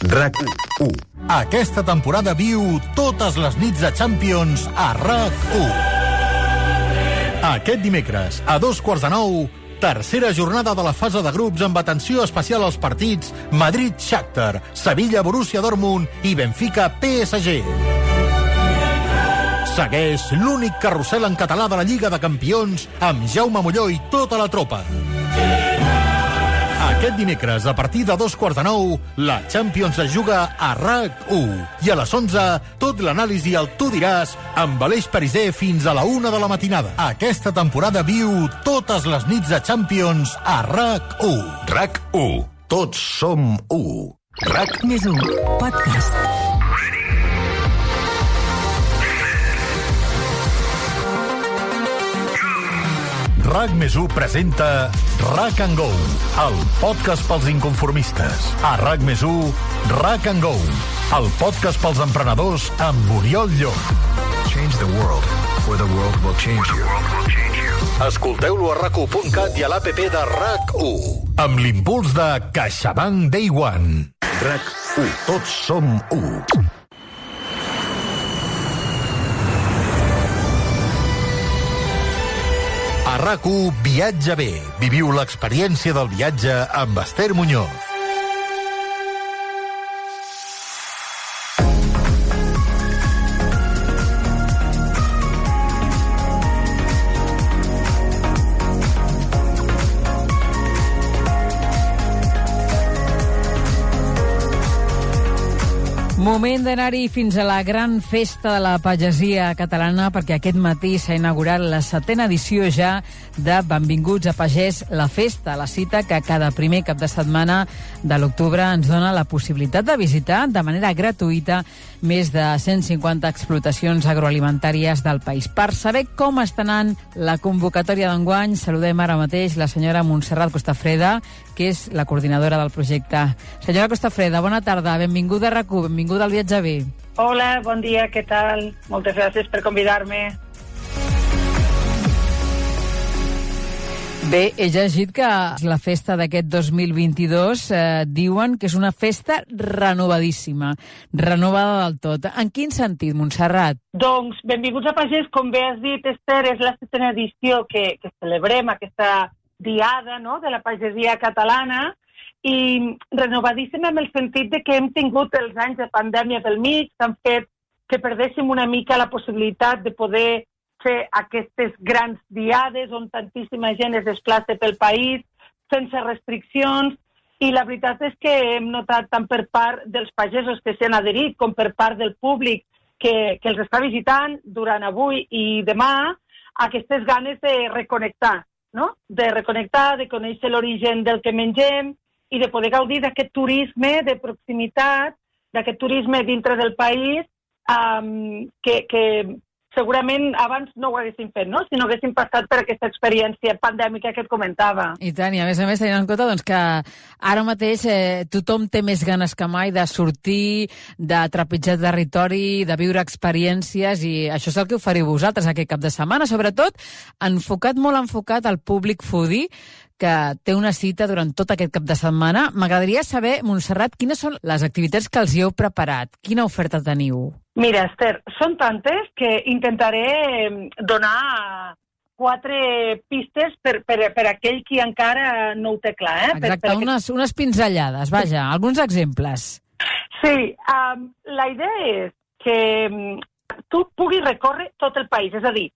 R A C u. Aquesta temporada viu totes les nits de Champions a R A C u. Aquest dimecres, a dos quarts de nou, tercera jornada de la fase de grups amb atenció especial als partits Madrid-Shakhtar, Sevilla-Borussia Dortmund i Benfica-P S G. Segueix l'únic carrusel en català de la Lliga de Campions amb Jaume Molló i tota la tropa. Aquest dimecres, a partir de dos quarts de nou, la Champions es juga a R A C u. I a les onze, tot l'anàlisi al Tu diràs amb Aleix Pariser fins a la una de la matinada. Aquesta temporada viu totes les nits de Champions a R A C u. R A C u. Tots som u. R A C més u. Podcast. R A C més u presenta R A C and Go, el podcast pels inconformistes. A R A C més u, R A C and Go, el podcast pels emprenedors amb Oriol Llop. Change the world, or the world will change you. Escolteu-lo a rac u punt cat i a l'app de RAC u. Amb l'impuls de CaixaBank Day One. RAC u. Tots som u. A RAC u, Viatge bé. Viviu l'experiència del viatge amb Esther Muñoz. Moment d'anar-hi fins a la gran festa de la pagesia catalana, perquè aquest matí s'ha inaugurat la setena edició ja de Benvinguts a Pagès, la festa, la cita que cada primer cap de setmana de l'octubre ens dona la possibilitat de visitar de manera gratuïta més de cent cinquanta explotacions agroalimentàries del país. Per saber com està anant la convocatòria d'enguany, saludem ara mateix la senyora Montserrat Costafreda, que és la coordinadora del projecte. Senyora Costafreda, bona tarda, benvinguda a RAC u, benvinguda al Viatge bé. Hola, bon dia, què tal? Moltes gràcies per convidar-me. Bé, he llegit que la festa d'aquest dos mil vint-i-dos eh, diuen que és una festa renovadíssima, renovada del tot. En quin sentit, Montserrat? Doncs, Benvinguts a Pagès, com bé has dit, Esther, és la setena edició que, que celebrem, aquesta diada, no?, de la pagesia catalana, i renovadíssima en el sentit de que hem tingut els anys de pandèmia pel mig, que han fet que perdéssim una mica la possibilitat de poder fer aquestes grans diades on tantíssima gent es desplaça pel país sense restriccions, i la veritat és que hem notat tant per part dels pagesos que s'han adherit com per part del públic que, que els està visitant durant avui i demà aquestes ganes de reconnectar, no? De reconnectar, de conèixer l'origen del que mengem i de poder gaudir d'aquest turisme de proximitat, d'aquest turisme dintre del país um, que, que segurament abans no ho haguéssim fet, no?, si no haguéssim passat per aquesta experiència pandèmica que et comentava. I tant, i a més a més tenint en compte doncs, que ara mateix eh, tothom té més ganes que mai de sortir, de trepitjar territori, de viure experiències, i això és el que oferiu vosaltres aquest cap de setmana, sobretot enfocat, molt enfocat al públic foodie, que té una cita durant tot aquest cap de setmana. M'agradaria saber, Montserrat, quines són les activitats que els hi heu preparat? Quina oferta teniu? Mira, Esther, són tantes que intentaré donar quatre pistes per, per, per aquell qui encara no ho té clar. Eh? Exacte, per, per unes, unes pinzellades, vaja, alguns exemples. Sí, um, la idea és que um, tu puguis recórrer tot el país, és a dir,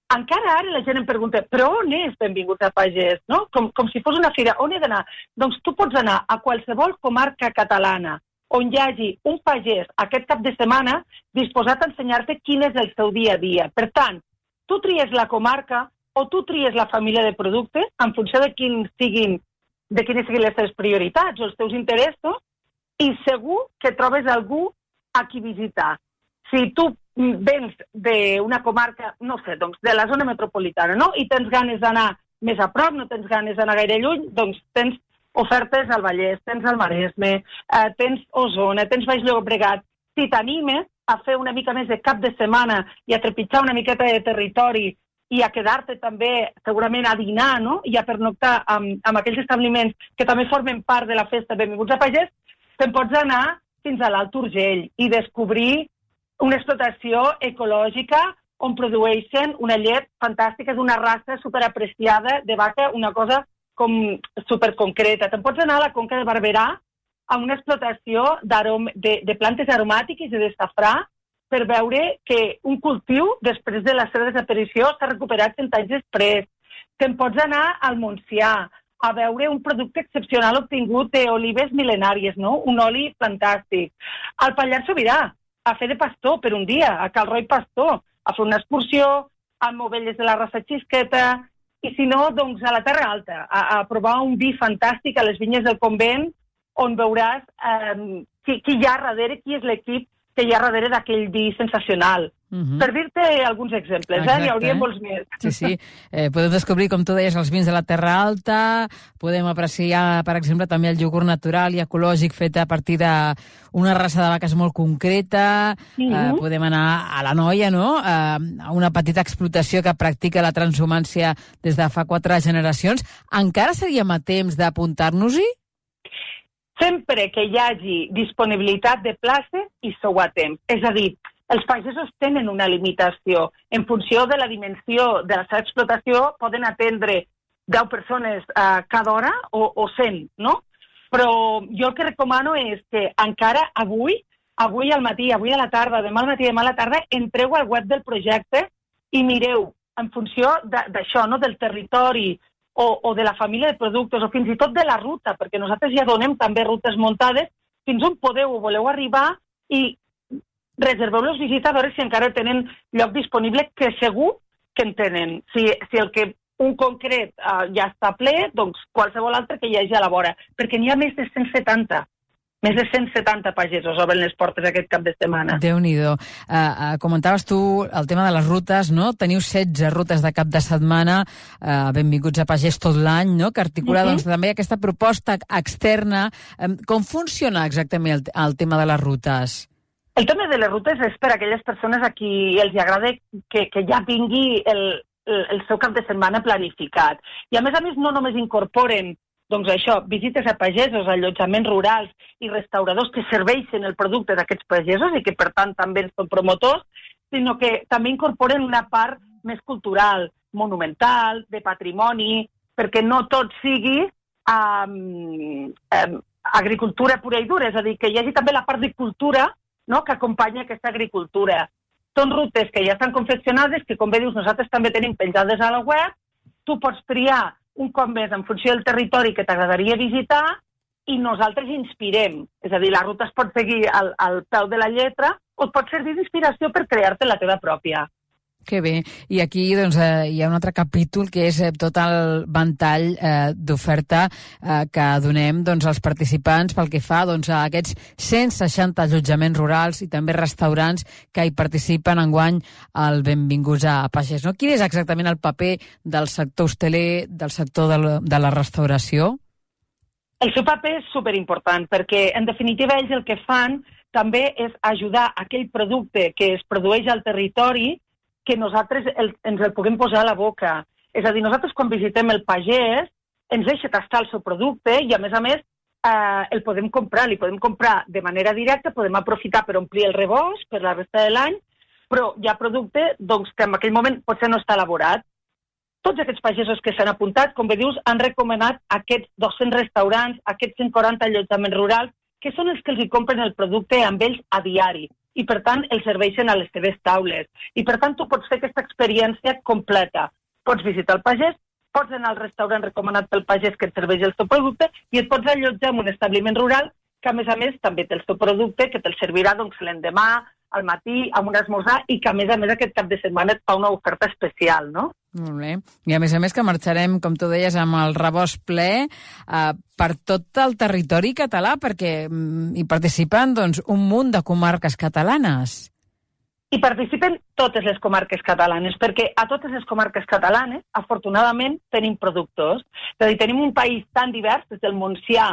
encara ara la gent em pregunta, però on és Benvinguts a Pagès? No? Com, com si fos una fira. On he d'anar? Doncs tu pots anar a qualsevol comarca catalana on hi hagi un pagès aquest cap de setmana disposat a ensenyar-te quin és el seu dia a dia. Per tant, tu tries la comarca o tu tries la família de productes en funció de, quin siguin, de quines siguin les teves prioritats o els teus interessos, i segur que trobes algú a qui visitar. Si tu vens d'una comarca, no sé, doncs de la zona metropolitana, no?, i tens ganes d'anar més a prop, no tens ganes d'anar gaire lluny, doncs tens ofertes al Vallès, tens al Maresme, eh, tens Osona, tens Baix Llobregat. Si t'animes a fer una mica més de cap de setmana i a trepitjar una miqueta de territori i a quedar-te també segurament a dinar, no?, i a pernoctar amb, amb aquells establiments que també formen part de la festa Benvinguts a Pagès, te'n pots anar fins a l'Alt Urgell i descobrir una explotació ecològica on produeixen una llet fantàstica d'una raça superapreciada de vaca, una cosa com superconcreta. Te'n pots anar a la Conca de Barberà a una explotació de, de plantes aromàtiques i de safrà per veure que un cultiu, després de la seva desaparició, s'ha recuperat cent anys després. Te'n pots anar al Montsià a veure un producte excepcional obtingut d'olives mil·lenàries, no?, un oli fantàstic. Al Pallars Sobirà, a fer de pastor per un dia, a Cal Roi Pastor, a fer una excursió amb ovelles de la raça Xisqueta, i si no, doncs a la Terra Alta, a, a provar un vi fantàstic a les vinyes del convent, on veuràs eh, qui, qui hi ha darrere, qui és l'equip que hi ha darrere d'aquell vi sensacional. Uh-huh. Per dir-te alguns exemples, eh? N'hi hauria molts més. Sí, sí. Eh, podem descobrir, com tu deies, els vins de la Terra Alta, podem apreciar, per exemple, també el iogurt natural i ecològic fet a partir d'una raça de vaques molt concreta, uh-huh. eh, podem anar a la Noia, no?, eh, a una petita explotació que practica la transhumància des de fa quatre generacions. Encara seríem a temps d'apuntar-nos-hi? Sempre que hi hagi disponibilitat de places, hi sou a temps. És a dir, els pagesos tenen una limitació. En funció de la dimensió de la seva explotació, poden atendre deu persones uh, cada hora o, o cent, no? Però jo el que recomano és que encara avui, avui al matí, avui a la tarda, demà al matí, demà a la tarda, entreu al web del projecte i mireu, en funció d'això, no?, del territori o, o de la família de productes, o fins i tot de la ruta, perquè nosaltres ja donem també rutes muntades, fins on podeu o voleu arribar i reserveu-los visita a veure si encara tenen lloc disponible, que segur que en tenen. Si, si el que un concret uh, ja està ple, doncs qualsevol altre que hi hagi a la vora. Perquè n'hi ha més de cent setanta. Més de cent setanta pagesos obren les portes aquest cap de setmana. Déu-n'hi-do. Uh, uh, comentaves tu el tema de les rutes, no? Teniu setze rutes de cap de setmana, uh, benvinguts a Pagès tot l'any, no?, que articula uh-huh. doncs, també aquesta proposta externa. Um, com funciona exactament el, el tema de les rutes? El tema de les rutes és per a aquelles persones a qui els agrada que, que ja vingui el, el, el seu cap de setmana planificat. I a més a més no només incorporen doncs això, visites a pagesos, allotjaments rurals i restauradors que serveixen el producte d'aquests pagesos i que per tant també en són promotors, sinó que també incorporen una part més cultural, monumental, de patrimoni, perquè no tot sigui um, um, agricultura pura i dura, és a dir, que hi hagi també la part de cultura, no?, que acompanya aquesta agricultura. Són rutes que ja estan confeccionades, que com bé dius nosaltres també tenim penjades a la web, tu pots triar un cop més en funció del territori que t'agradaria visitar i nosaltres inspirem. És a dir, la ruta es pot seguir al, al peu de la lletra o et pot servir d'inspiració per crear-te la teva pròpia. Que bé. I aquí doncs, eh, hi ha un altre capítol que és eh, tot el ventall eh, d'oferta eh, que donem doncs, als participants pel que fa doncs, a aquests cent seixanta allotjaments rurals i també restaurants que hi participen enguany al Benvinguts a Pagès. No? Quin és exactament el paper del sector hosteler, del sector de la, de la restauració? El seu paper és superimportant perquè, en definitiva, ells el que fan també és ajudar aquell producte que es produeix al territori que nosaltres el, ens el puguem posar a la boca. És a dir, nosaltres quan visitem el pagès ens deixa tastar el seu producte i, a més a més, eh, el podem comprar. Li podem comprar de manera directa, podem aprofitar per omplir el rebost per la resta de l'any, però hi ha producte doncs, que en aquell moment potser no està elaborat. Tots aquests pagesos que s'han apuntat, com bé dius, han recomanat aquests dos-cents restaurants, aquests cent quaranta allotjaments rurals, que són els que els hi compren el producte amb ells a diari i, per tant, els serveixen a les seves taules. I, per tant, tu pots fer aquesta experiència completa. Pots visitar el pagès, pots anar al restaurant recomanat pel pagès que et serveix el teu producte i et pots allotjar en un establiment rural que, a més a més, també té el teu producte, que te'l servirà doncs, l'endemà, al matí, amb un esmorzar i que, a més a més, aquest cap de setmana et fa una oferta especial, no? Molt bé. I a més a més que marxarem, com tu deies, amb el rebost ple eh, per tot el territori català, perquè mm, hi participen doncs, un munt de comarques catalanes. Hi participen totes les comarques catalanes, perquè a totes les comarques catalanes, afortunadament, tenim productors. És a dir, tenim un país tan divers, des del Montsià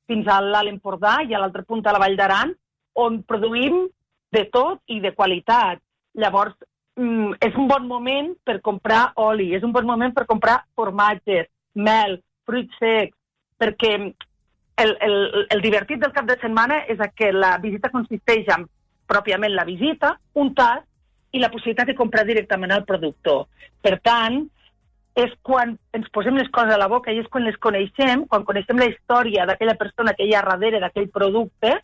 fins a l'Alt Empordà i a l'altre punt a la Vall d'Aran, on produïm de tot i de qualitat. Llavors, és un bon moment per comprar oli, és un bon moment per comprar formatges, mel, fruits secs, perquè el, el, el divertit del cap de setmana és que la visita consisteix en pròpiament la visita, un tast i la possibilitat de comprar directament al productor. Per tant, és quan ens posem les coses a la boca i és quan les coneixem, quan coneixem la història d'aquella persona que hi ha darrere d'aquell producte,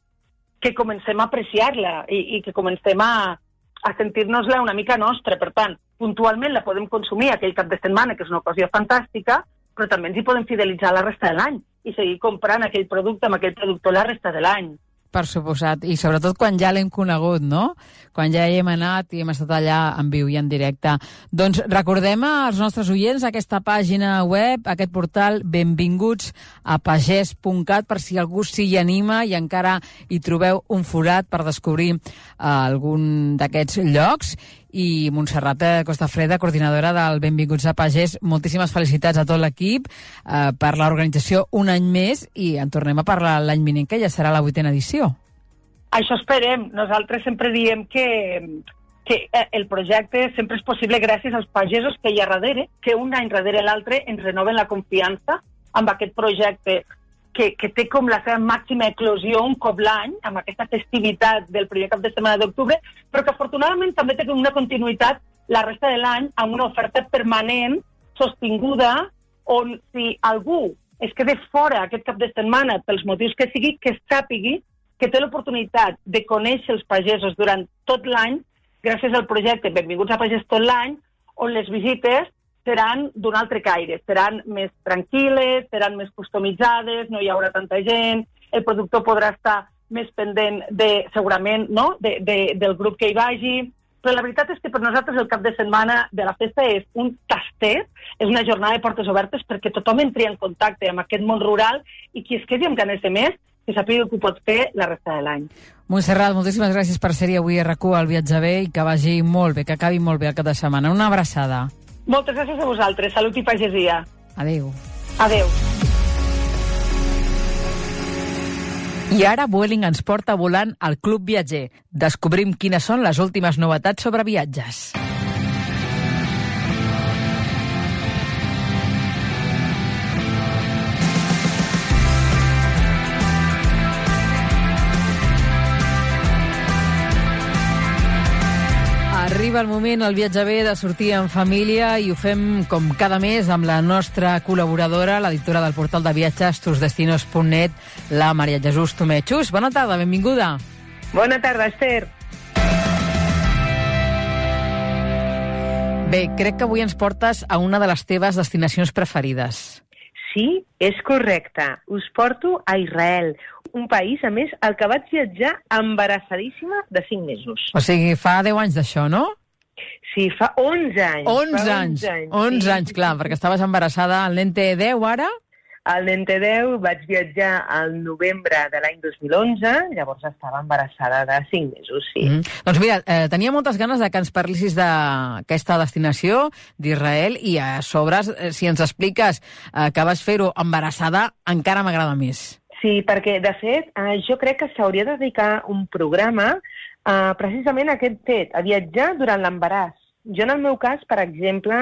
que comencem a apreciar-la i, i que comencem a a sentir-nos-la una mica nostra. Per tant, puntualment la podem consumir aquell cap de setmana, que és una ocasió fantàstica, però també ens hi podem fidelitzar la resta de l'any i seguir comprant aquell producte amb aquell productor la resta de l'any. Per suposat, i sobretot quan ja l'hem conegut, no? Quan ja hi hem anat i hem estat allà en viu i en directe. Doncs recordem als nostres oients aquesta pàgina web, aquest portal benvinguts a pagès punt cat, per si algú s'hi anima i encara hi trobeu un forat per descobrir uh, algun d'aquests llocs. I Montserrat Costafreda, coordinadora del Benvinguts a Pagès, moltíssimes felicitats a tot l'equip eh, per l'organització un any més i en tornem a parlar l'any vinent, que ja serà la vuitena edició. Això esperem. Nosaltres sempre diem que, que el projecte sempre és possible gràcies als pagesos que hi ha darrere, que un any darrere l'altre ens renoven la confiança amb aquest projecte que, que té com la seva màxima eclosió un cop l'any, amb aquesta festivitat del primer cap de setmana d'octubre, però que afortunadament també té una continuïtat la resta de l'any amb una oferta permanent, sostinguda, on si algú es queda fora aquest cap de setmana pels motius que sigui, que sàpigui que té l'oportunitat de conèixer els pagesos durant tot l'any gràcies al projecte Benvinguts a Pagès tot l'any, on les visites seran d'un altre caire, seran més tranquil·les, seran més customitzades, no hi haurà tanta gent, el productor podrà estar més pendent de, segurament, no? de, de, del grup que hi vagi, però la veritat és que per nosaltres el cap de setmana de la festa és un tastet, és una jornada de portes obertes perquè tothom entri en contacte amb aquest món rural i qui es quedi amb ganes de més, que sàpiga que ho pot fer la resta de l'any. Montserrat, moltíssimes gràcies per ser-hi avui a RAC u al Viatge Bé i que vagi molt bé, que acabi molt bé el cap de setmana. Una abraçada. Moltes gràcies a vosaltres. Salut i pagesia. Adéu. Adéu. I ara Vueling ens porta volant al Club Viatger. Descobrim quines són les últimes novetats sobre viatges. Arriba el moment, el Viatge Bé, de sortir en família i ho fem com cada mes amb la nostra col·laboradora, l'editora del portal de viatges tusdestinos punt net, la Maria Jesús Tomé. Xus, bona tarda, benvinguda. Bona tarda, Esther. Bé, crec que avui ens portes a una de les teves destinacions preferides. Sí, és correcte. Us porto a Israel, un país, a més, al que vaig viatjar embarassadíssima de cinc mesos. O sigui, fa deu anys d'això, no? Sí, fa onze anys. onze anys, onze sí. anys, clar, perquè estaves embarassada, el nen té deu ara? El nen té deu, vaig viatjar al novembre de l'any dos mil onze, llavors estava embarassada de cinc mesos, sí. Mm. Doncs mira, eh, tenia moltes ganes de que ens parlissis d'aquesta destinació d'Israel i a sobre, eh, si ens expliques eh, que vas fer-ho embarassada, encara m'agrada més. Sí, perquè, de fet, eh, jo crec que s'hauria de dedicar un programa eh, precisament a aquest fet, a viatjar durant l'embaràs. Jo, en el meu cas, per exemple,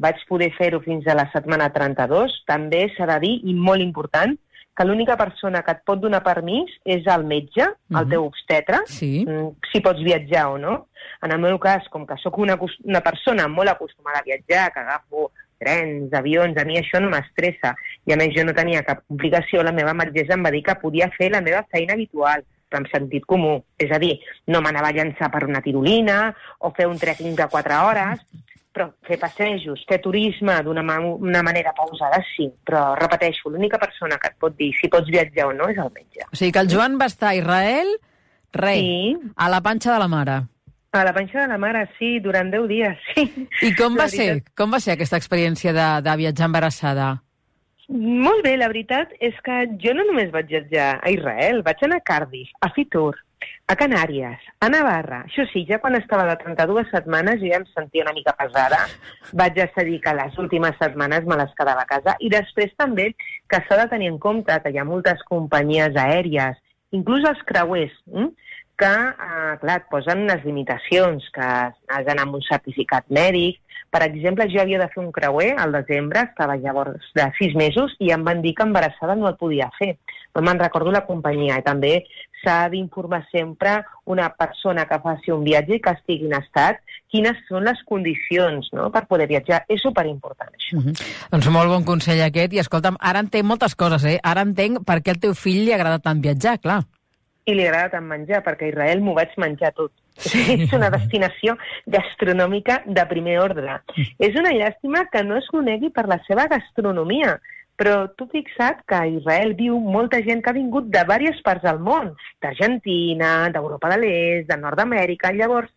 vaig poder fer-ho fins a la setmana trenta-dos. També s'ha de dir, i molt important, que l'única persona que et pot donar permís és el metge, el uh-huh. teu obstetre, sí. si pots viatjar o no. En el meu cas, com que sóc una, una persona molt acostumada a viatjar, que agafo trens, avions, a mi això no m'estressa, i a més jo no tenia cap complicació, la meva metgessa em va dir que podia fer la meva feina habitual, però amb sentit comú. És a dir, no m'anava a llançar per una tirolina o fer un trekking de quatre hores, però fer passejos, fer turisme d'una ma una manera pausada, sí. Però, repeteixo, l'única persona que et pot dir si pots viatjar o no és el metge. O sigui que el Joan va estar a Israel, re, sí. a la panxa de la mare. A la panxa de la mare, sí, durant deu dies, sí. I com va ser? Com va ser aquesta experiència de, de viatjar embarassada? Molt bé, la veritat és que jo no només vaig viatjar a Israel, vaig anar a Cardiff, a Fitur, a Canàries, a Navarra. Això sí, ja quan estava de trenta-dues setmanes jo ja em sentia una mica pesada. Vaig decidir que les últimes setmanes me les quedava a casa. I després també que s'ha de tenir en compte que hi ha moltes companyies aèries, inclús els creuers, hm? que, eh, clar, et posen unes limitacions, que has d'anar amb un certificat mèdic. Per exemple, jo havia de fer un creuer al desembre, estava llavors de sis mesos, i em van dir que embarassada no el podia fer. No me'n recordo la companyia. I també s'ha d'informar sempre una persona que faci un viatge i que estigui en estat quines són les condicions, no?, per poder viatjar. És superimportant, això. Uh -huh. Doncs molt bon consell aquest. I escolta'm, ara entenc moltes coses, eh? Ara entenc per què al teu fill li agrada tant viatjar, clar. I li agrada tant menjar, perquè a Israel m'ho vaig menjar tot. Sí. És una destinació gastronòmica de primer ordre. És una llàstima que no es conegui per la seva gastronomia, Però tu fixa't que a Israel viu molta gent que ha vingut de diverses parts del món, d'Argentina, d'Europa de l'Est, de Nord-Amèrica. Llavors,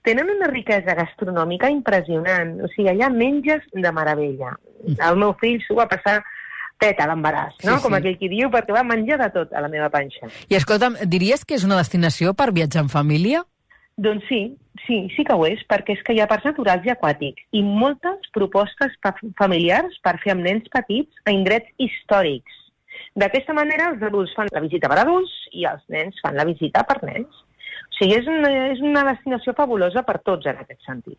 tenen una riquesa gastronòmica impressionant. O sigui, allà menges de meravella. El meu fill s'ho va passar teta a l'embaràs, no? Sí, sí. Com aquell qui diu, perquè va menjar de tot a la meva panxa. I escolta'm, diries que és una destinació per viatjar en família? Doncs sí, sí, sí que ho és, perquè és que hi ha parcs naturals i aquàtics i moltes propostes familiars per fer amb nens petits a indrets històrics. D'aquesta manera, els adults fan la visita per adults i els nens fan la visita per nens. O sigui, és una, és una destinació fabulosa per tots en aquest sentit.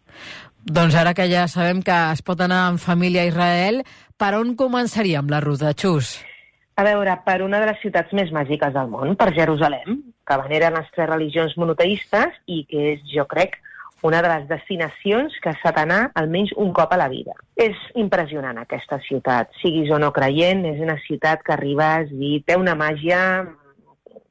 Doncs ara que ja sabem que es pot anar en família a Israel, per on començaríem la ruta, Xus? A veure, per una de les ciutats més màgiques del món, per Jerusalem, que venera les tres religions monoteistes i que és, jo crec, una de les destinacions que s'ha d'anar almenys un cop a la vida. És impressionant aquesta ciutat, siguis o no creient, és una ciutat que arribes i té una màgia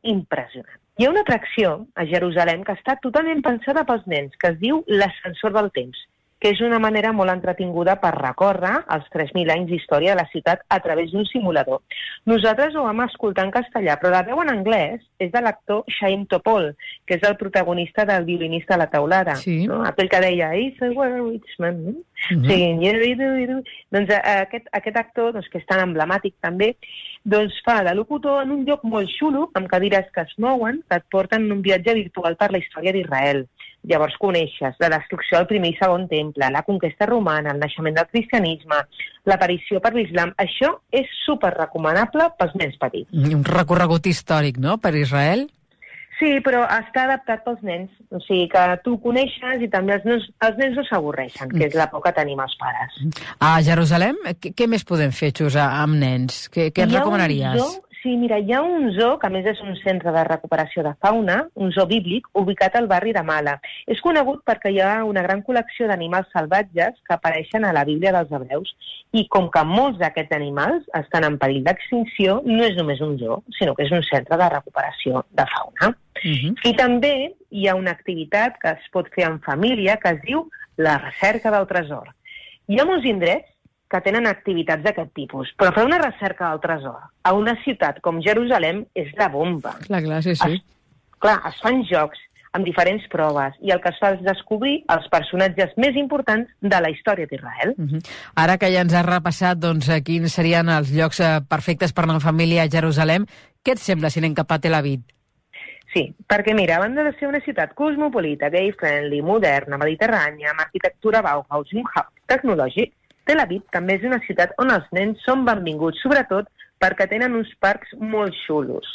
impressionant. Hi ha una atracció a Jerusalem que està totalment pensada pels nens, que es diu l'ascensor del temps, que és una manera molt entretinguda per recórrer els tres mil anys d'història de la ciutat a través d'un simulador. Nosaltres ho vam escoltar en castellà, però la veu en anglès és de l'actor Chaim Topol, que és el protagonista del violinista a la teulada. Sí. No? Aquell que deia, "It's a rich man", no? Mm-hmm. Sí, doncs aquest, aquest actor, doncs, que és tan emblemàtic també, doncs fa de locutor en un lloc molt xulo, amb cadires que es mouen, que et porten en un viatge virtual per la història d'Israel. Llavors coneixes la destrucció del primer i segon temple, la conquesta romana, el naixement del cristianisme, l'aparició per l'islam. Això és super recomanable pels nens petits. Un recorregut històric, no?, per Israel? Sí, però està adaptat pels nens. O sigui, que tu ho coneixes i també els nens, els nens no s'avorreixen, que és la por que tenim els pares. A Jerusalem, què, què més podem fer, Xus, amb nens? Què, què ens recomanaries? Sí, mira, hi ha un zoo, que a més és un centre de recuperació de fauna, un zoo bíblic, ubicat al barri de Mala. És conegut perquè hi ha una gran col·lecció d'animals salvatges que apareixen a la Bíblia dels hebreus i com que molts d'aquests animals estan en perill d'extinció, no és només un zoo, sinó que és un centre de recuperació de fauna. Uh-huh. I també hi ha una activitat que es pot fer en família que es diu la recerca del tresor. Hi ha molts indrets que tenen activitats d'aquest tipus. Però fer una recerca del tresor a una ciutat com Jerusalem és la bomba. Clar, clar, sí, sí. Es, clar, es fan jocs amb diferents proves i el que es fa és descobrir els personatges més importants de la història d'Israel. Uh-huh. Ara que ja ens has repassat doncs, quins serien els llocs perfectes per anar en família a Jerusalem, què et sembla si anem cap a Tel Aviv? Sí, perquè mira, a banda de ser una ciutat cosmopolita, gay-friendly, moderna, mediterrània, amb arquitectura Bauhaus i un hub tecnològic, Tel Aviv també és una ciutat on els nens són benvinguts, sobretot perquè tenen uns parcs molt xulos.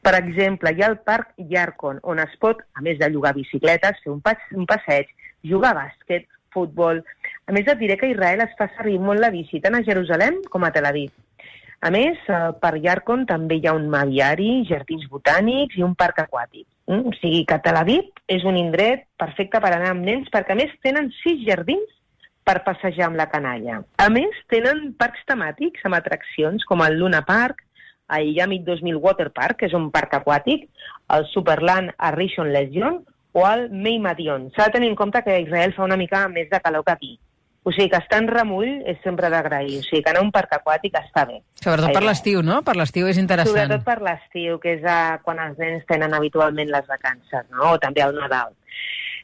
Per exemple, hi ha el Parc Yarkon, on es pot, a més de llogar bicicletes, fer un, pas, un passeig, jugar a bàsquet, futbol. A més, et diré que a Israel es fa servir molt la bici, tant a Jerusalem com a Tel Aviv. A més, al Parc Yarkon també hi ha un aviari, jardins botànics i un parc aquàtic. Mm? O sigui que Tel Aviv és un indret perfecte per anar amb nens, perquè a més tenen sis jardins per passejar amb la canalla. A més, tenen parcs temàtics amb atraccions com el Luna Park, el Yamit dos mil Water Park, que és un parc aquàtic, el Superland a Rishon Lezion o el Meimadion. S'ha de tenir en compte que a Israel fa una mica més de calor que aquí. O sigui que estar en remull és sempre d'agrair. O sigui que anar a un parc aquàtic està bé. Sobretot per l'estiu, no? Per l'estiu és interessant. Sobretot per l'estiu, que és a, quan els nens tenen habitualment les vacances, no? O també al Nadal.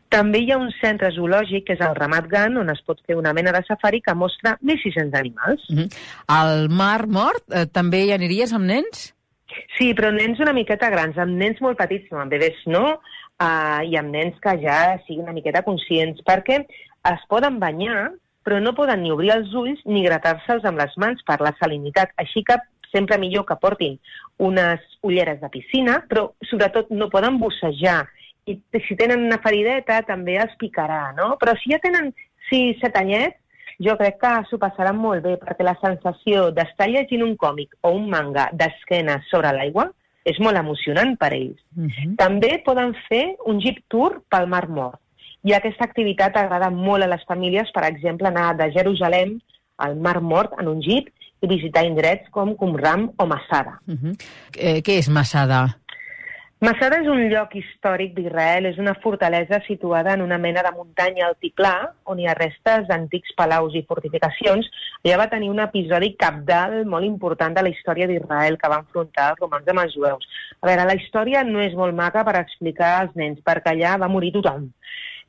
També hi ha un centre zoològic, que és el Ramat Gan, on es pot fer una mena de safari que mostra mil sis-cents animals. Mm-hmm. Al Mar Mort eh, també hi aniries amb nens? Sí, però nens una miqueta grans, amb nens molt petits, no, amb bebès no, uh, i amb nens que ja siguin una miqueta conscients, perquè es poden banyar, però no poden ni obrir els ulls ni gratar-se'ls amb les mans per la salinitat. Així que sempre millor que portin unes ulleres de piscina, però sobretot no poden bussejar. I si tenen una ferideta també els picarà, no? Però si ja tenen sis set anyets, jo crec que s'ho passaran molt bé, perquè la sensació d'estar llegint un còmic o un manga d'esquena sobre l'aigua és molt emocionant per ells. Uh-huh. També poden fer un jeep tour pel Mar Mort. I aquesta activitat agrada molt a les famílies, per exemple, anar de Jerusalem al Mar Mort en un jeep i visitar indrets com Qumran o Masada. Uh-huh. Eh, què és Masada? Masada és un lloc històric d'Israel, és una fortalesa situada en una mena de muntanya altiplà, on hi ha restes d'antics palaus i fortificacions. Allà va tenir un episodi cabdal molt important de la història d'Israel que va enfrontar els romans amb els jueus. A veure, la història no és molt maca per explicar als nens, perquè allà va morir tothom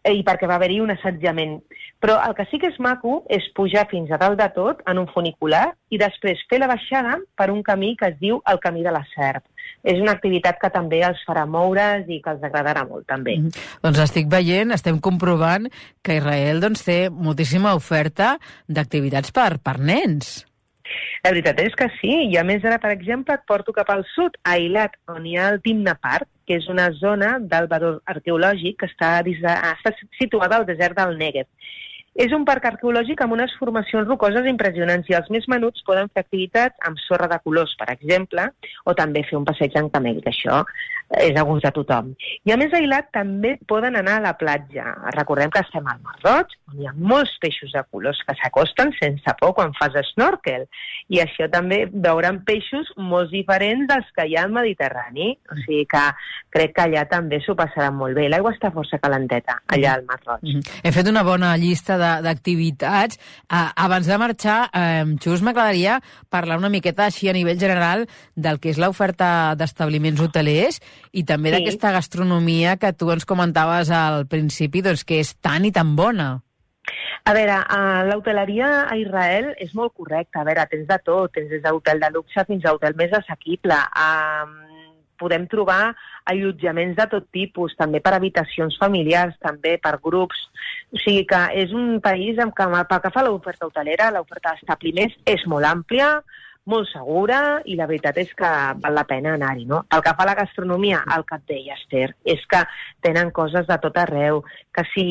i perquè va haver-hi un assetjament. Però el que sí que és maco és pujar fins a dalt de tot en un funicular i després fer la baixada per un camí que es diu el Camí de la Serp. És una activitat que també els farà moure's i que els agradarà molt, també. Mm -hmm. Doncs estic veient, estem comprovant que Israel doncs, té moltíssima oferta d'activitats per, per nens. La veritat és que sí, i a més ara, per exemple, et porto cap al sud, a Eilat, on hi ha el Timna Park, que és una zona del valor arqueològic que està, està situada al desert del Negev. És un parc arqueològic amb unes formacions rocoses impressionants i els més menuts poden fer activitats amb sorra de colors, per exemple, o també fer un passeig en camell, que això és a gust de tothom. I a més a Eilat també poden anar a la platja. Recordem que estem al Mar Roig, on hi ha molts peixos de colors que s'acosten sense por quan fas snorkel. I això també veuran peixos molt diferents dels que hi ha al Mediterrani. O sigui que crec que allà també s'ho passaran molt bé. L'aigua està força calenteta, allà al Mar Roig. Mm-hmm. He fet una bona llista d'activitats. Uh, abans de marxar, eh, Xus, m'agradaria parlar una miqueta així a nivell general del que és l'oferta d'establiments hotelers i també sí. d'aquesta gastronomia que tu ens comentaves al principi, doncs que és tan i tan bona. A veure, uh, l'hoteleria a Israel és molt correcta. A veure, tens de tot, tens des d'hotel de luxe fins a hotel més assequible. Uh, podem trobar allotjaments de tot tipus, també per habitacions familiars, també per grups. O sigui que és un país en què, pel que fa a l'oferta hotelera, l'oferta d'establiments és molt àmplia, molt segura, i la veritat és que val la pena anar-hi, no? Pel que fa a la gastronomia, el que et deia, Esther, és que tenen coses de tot arreu, que si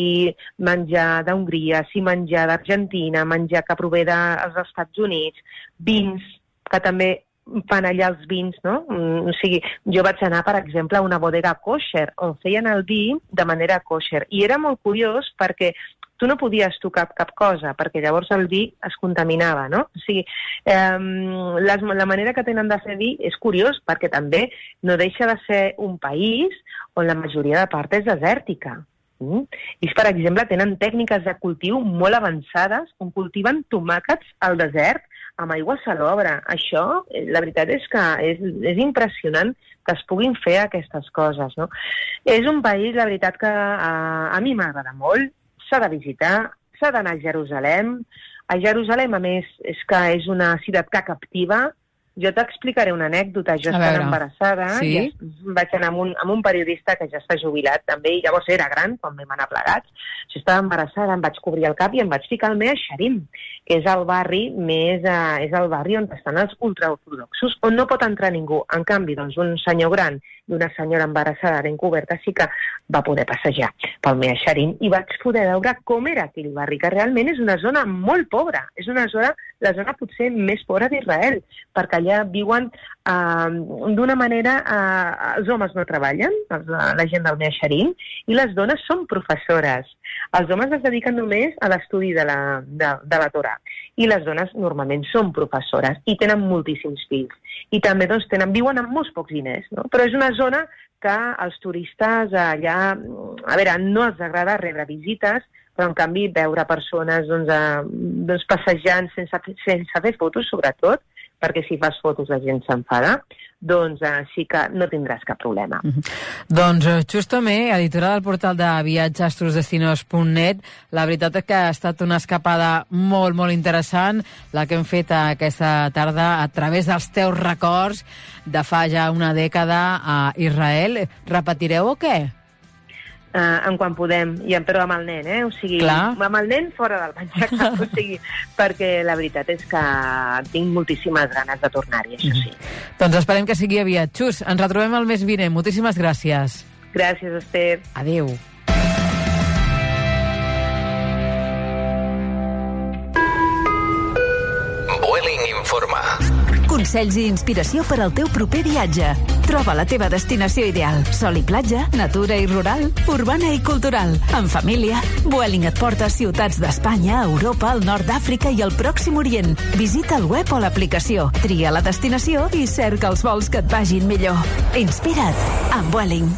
menjar d'Hongria, si menjar d'Argentina, menjar que prové dels Estats Units, vins, que també fan allà els vins, no? O sigui, jo vaig anar, per exemple, a una bodega kosher, on feien el vi de manera kosher, i era molt curiós perquè tu no podies tocar cap cosa, perquè llavors el vi es contaminava, no? O sigui, eh, les, la manera que tenen de fer vi és curiós, perquè també no deixa de ser un país on la majoria de part és desèrtica. Mm? I, per exemple, tenen tècniques de cultiu molt avançades, on cultiven tomàquets al desert amb aigua salobre. Això, la veritat és que és, és impressionant que es puguin fer aquestes coses, no? És un país, la veritat, que a, a mi m'agrada molt, s'ha de visitar, s'ha d'anar a Jerusalem. A Jerusalem, a més, és que és una ciutat que captiva. Jo t'explicaré una anècdota. Jo estava embarassada, sí? I vaig anar amb un, amb un periodista que ja està jubilat també, i llavors era gran quan vam anar plegats. Jo estava embarassada, em vaig cobrir el cap i em vaig ficar al Mea Sharim, que és el barri més, eh, és el barri on estan els ultraortodoxos, on no pot entrar ningú. En canvi, doncs, un senyor gran i una senyora embarassada ben coberta sí que va poder passejar pel Mea Sharim i vaig poder veure com era aquell barri, que realment és una zona molt pobra. És una zona, la zona potser més pobra d'Israel, perquè allà viuen uh, d'una manera... Uh, els homes no treballen, els, la gent del Mea Sharim, i les dones són professores. Els homes es dediquen només a l'estudi de la, de, de la Torà, i les dones normalment són professores i tenen moltíssims fills. I també doncs, tenen, viuen amb molts pocs diners, no? Però és una zona que els turistes allà, a veure, no els agrada rebre visites, però en canvi veure persones doncs, a, doncs, passejant sense, sense fer fotos, sobretot, perquè si fas fotos la gent s'enfada, doncs eh, sí que no tindràs cap problema. Mm-hmm. Doncs Xus Tomé, editora del portal de viatges trusdestinos punt net, la veritat és que ha estat una escapada molt, molt interessant, la que hem fet aquesta tarda a través dels teus records de fa ja una dècada a Israel. Repetireu o què? Uh, en quan podem, i, però amb el nen, eh? O sigui, Clar. amb el nen fora del menjar, o sigui, perquè la veritat és que tinc moltíssimes ganes de tornar-hi, això sí. Mm. Doncs esperem que sigui aviat. Xus, ens retrobem el mes vinent. Moltíssimes gràcies. Gràcies, Esther. Adéu. Vueling informa. Consells i inspiració per al teu proper viatge. Troba la teva destinació ideal. Sol i platja, natura i rural, urbana i cultural. En família. Vueling et porta a ciutats d'Espanya, Europa, el nord d'Àfrica i el Pròxim Orient. Visita el web o l'aplicació. Tria la destinació i cerca els vols que et vagin millor. Inspira't amb Vueling.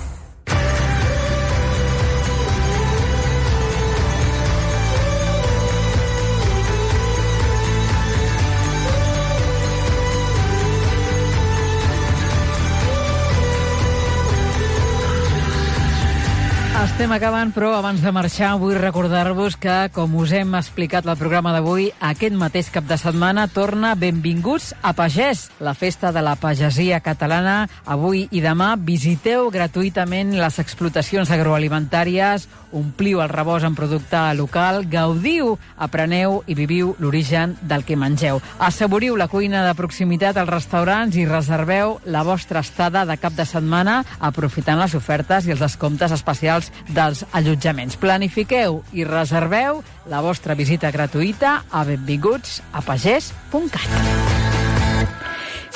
Estem acabant, però abans de marxar vull recordar-vos que, com us hem explicat al programa d'avui, aquest mateix cap de setmana torna Benvinguts a Pagès, la festa de la pagesia catalana. Avui i demà visiteu gratuïtament les explotacions agroalimentàries, ompliu el rebost en producte local, gaudiu, apreneu i viviu l'origen del que mengeu. Assaboriu la cuina de proximitat als restaurants i reserveu la vostra estada de cap de setmana aprofitant les ofertes i els descomptes especials dels allotjaments. Planifiqueu i reserveu la vostra visita gratuïta a benvinguts a pagès punt cat.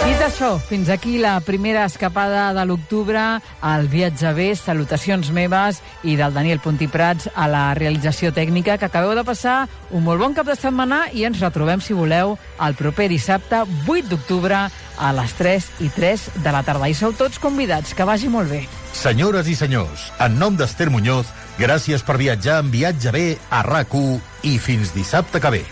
Dit això, fins aquí la primera escapada de l'octubre al Viatge bé. Salutacions meves i del Daniel Puntiprats a la realització tècnica, que acabeu de passar un molt bon cap de setmana i ens retrobem, si voleu, el proper dissabte vuit d'octubre a les tres i tres de la tarda. I sou tots convidats, que vagi molt bé. Senyores i senyors, en nom d'Ester Muñoz, gràcies per viatjar en Viatge bé a RAC u i fins dissabte que ve.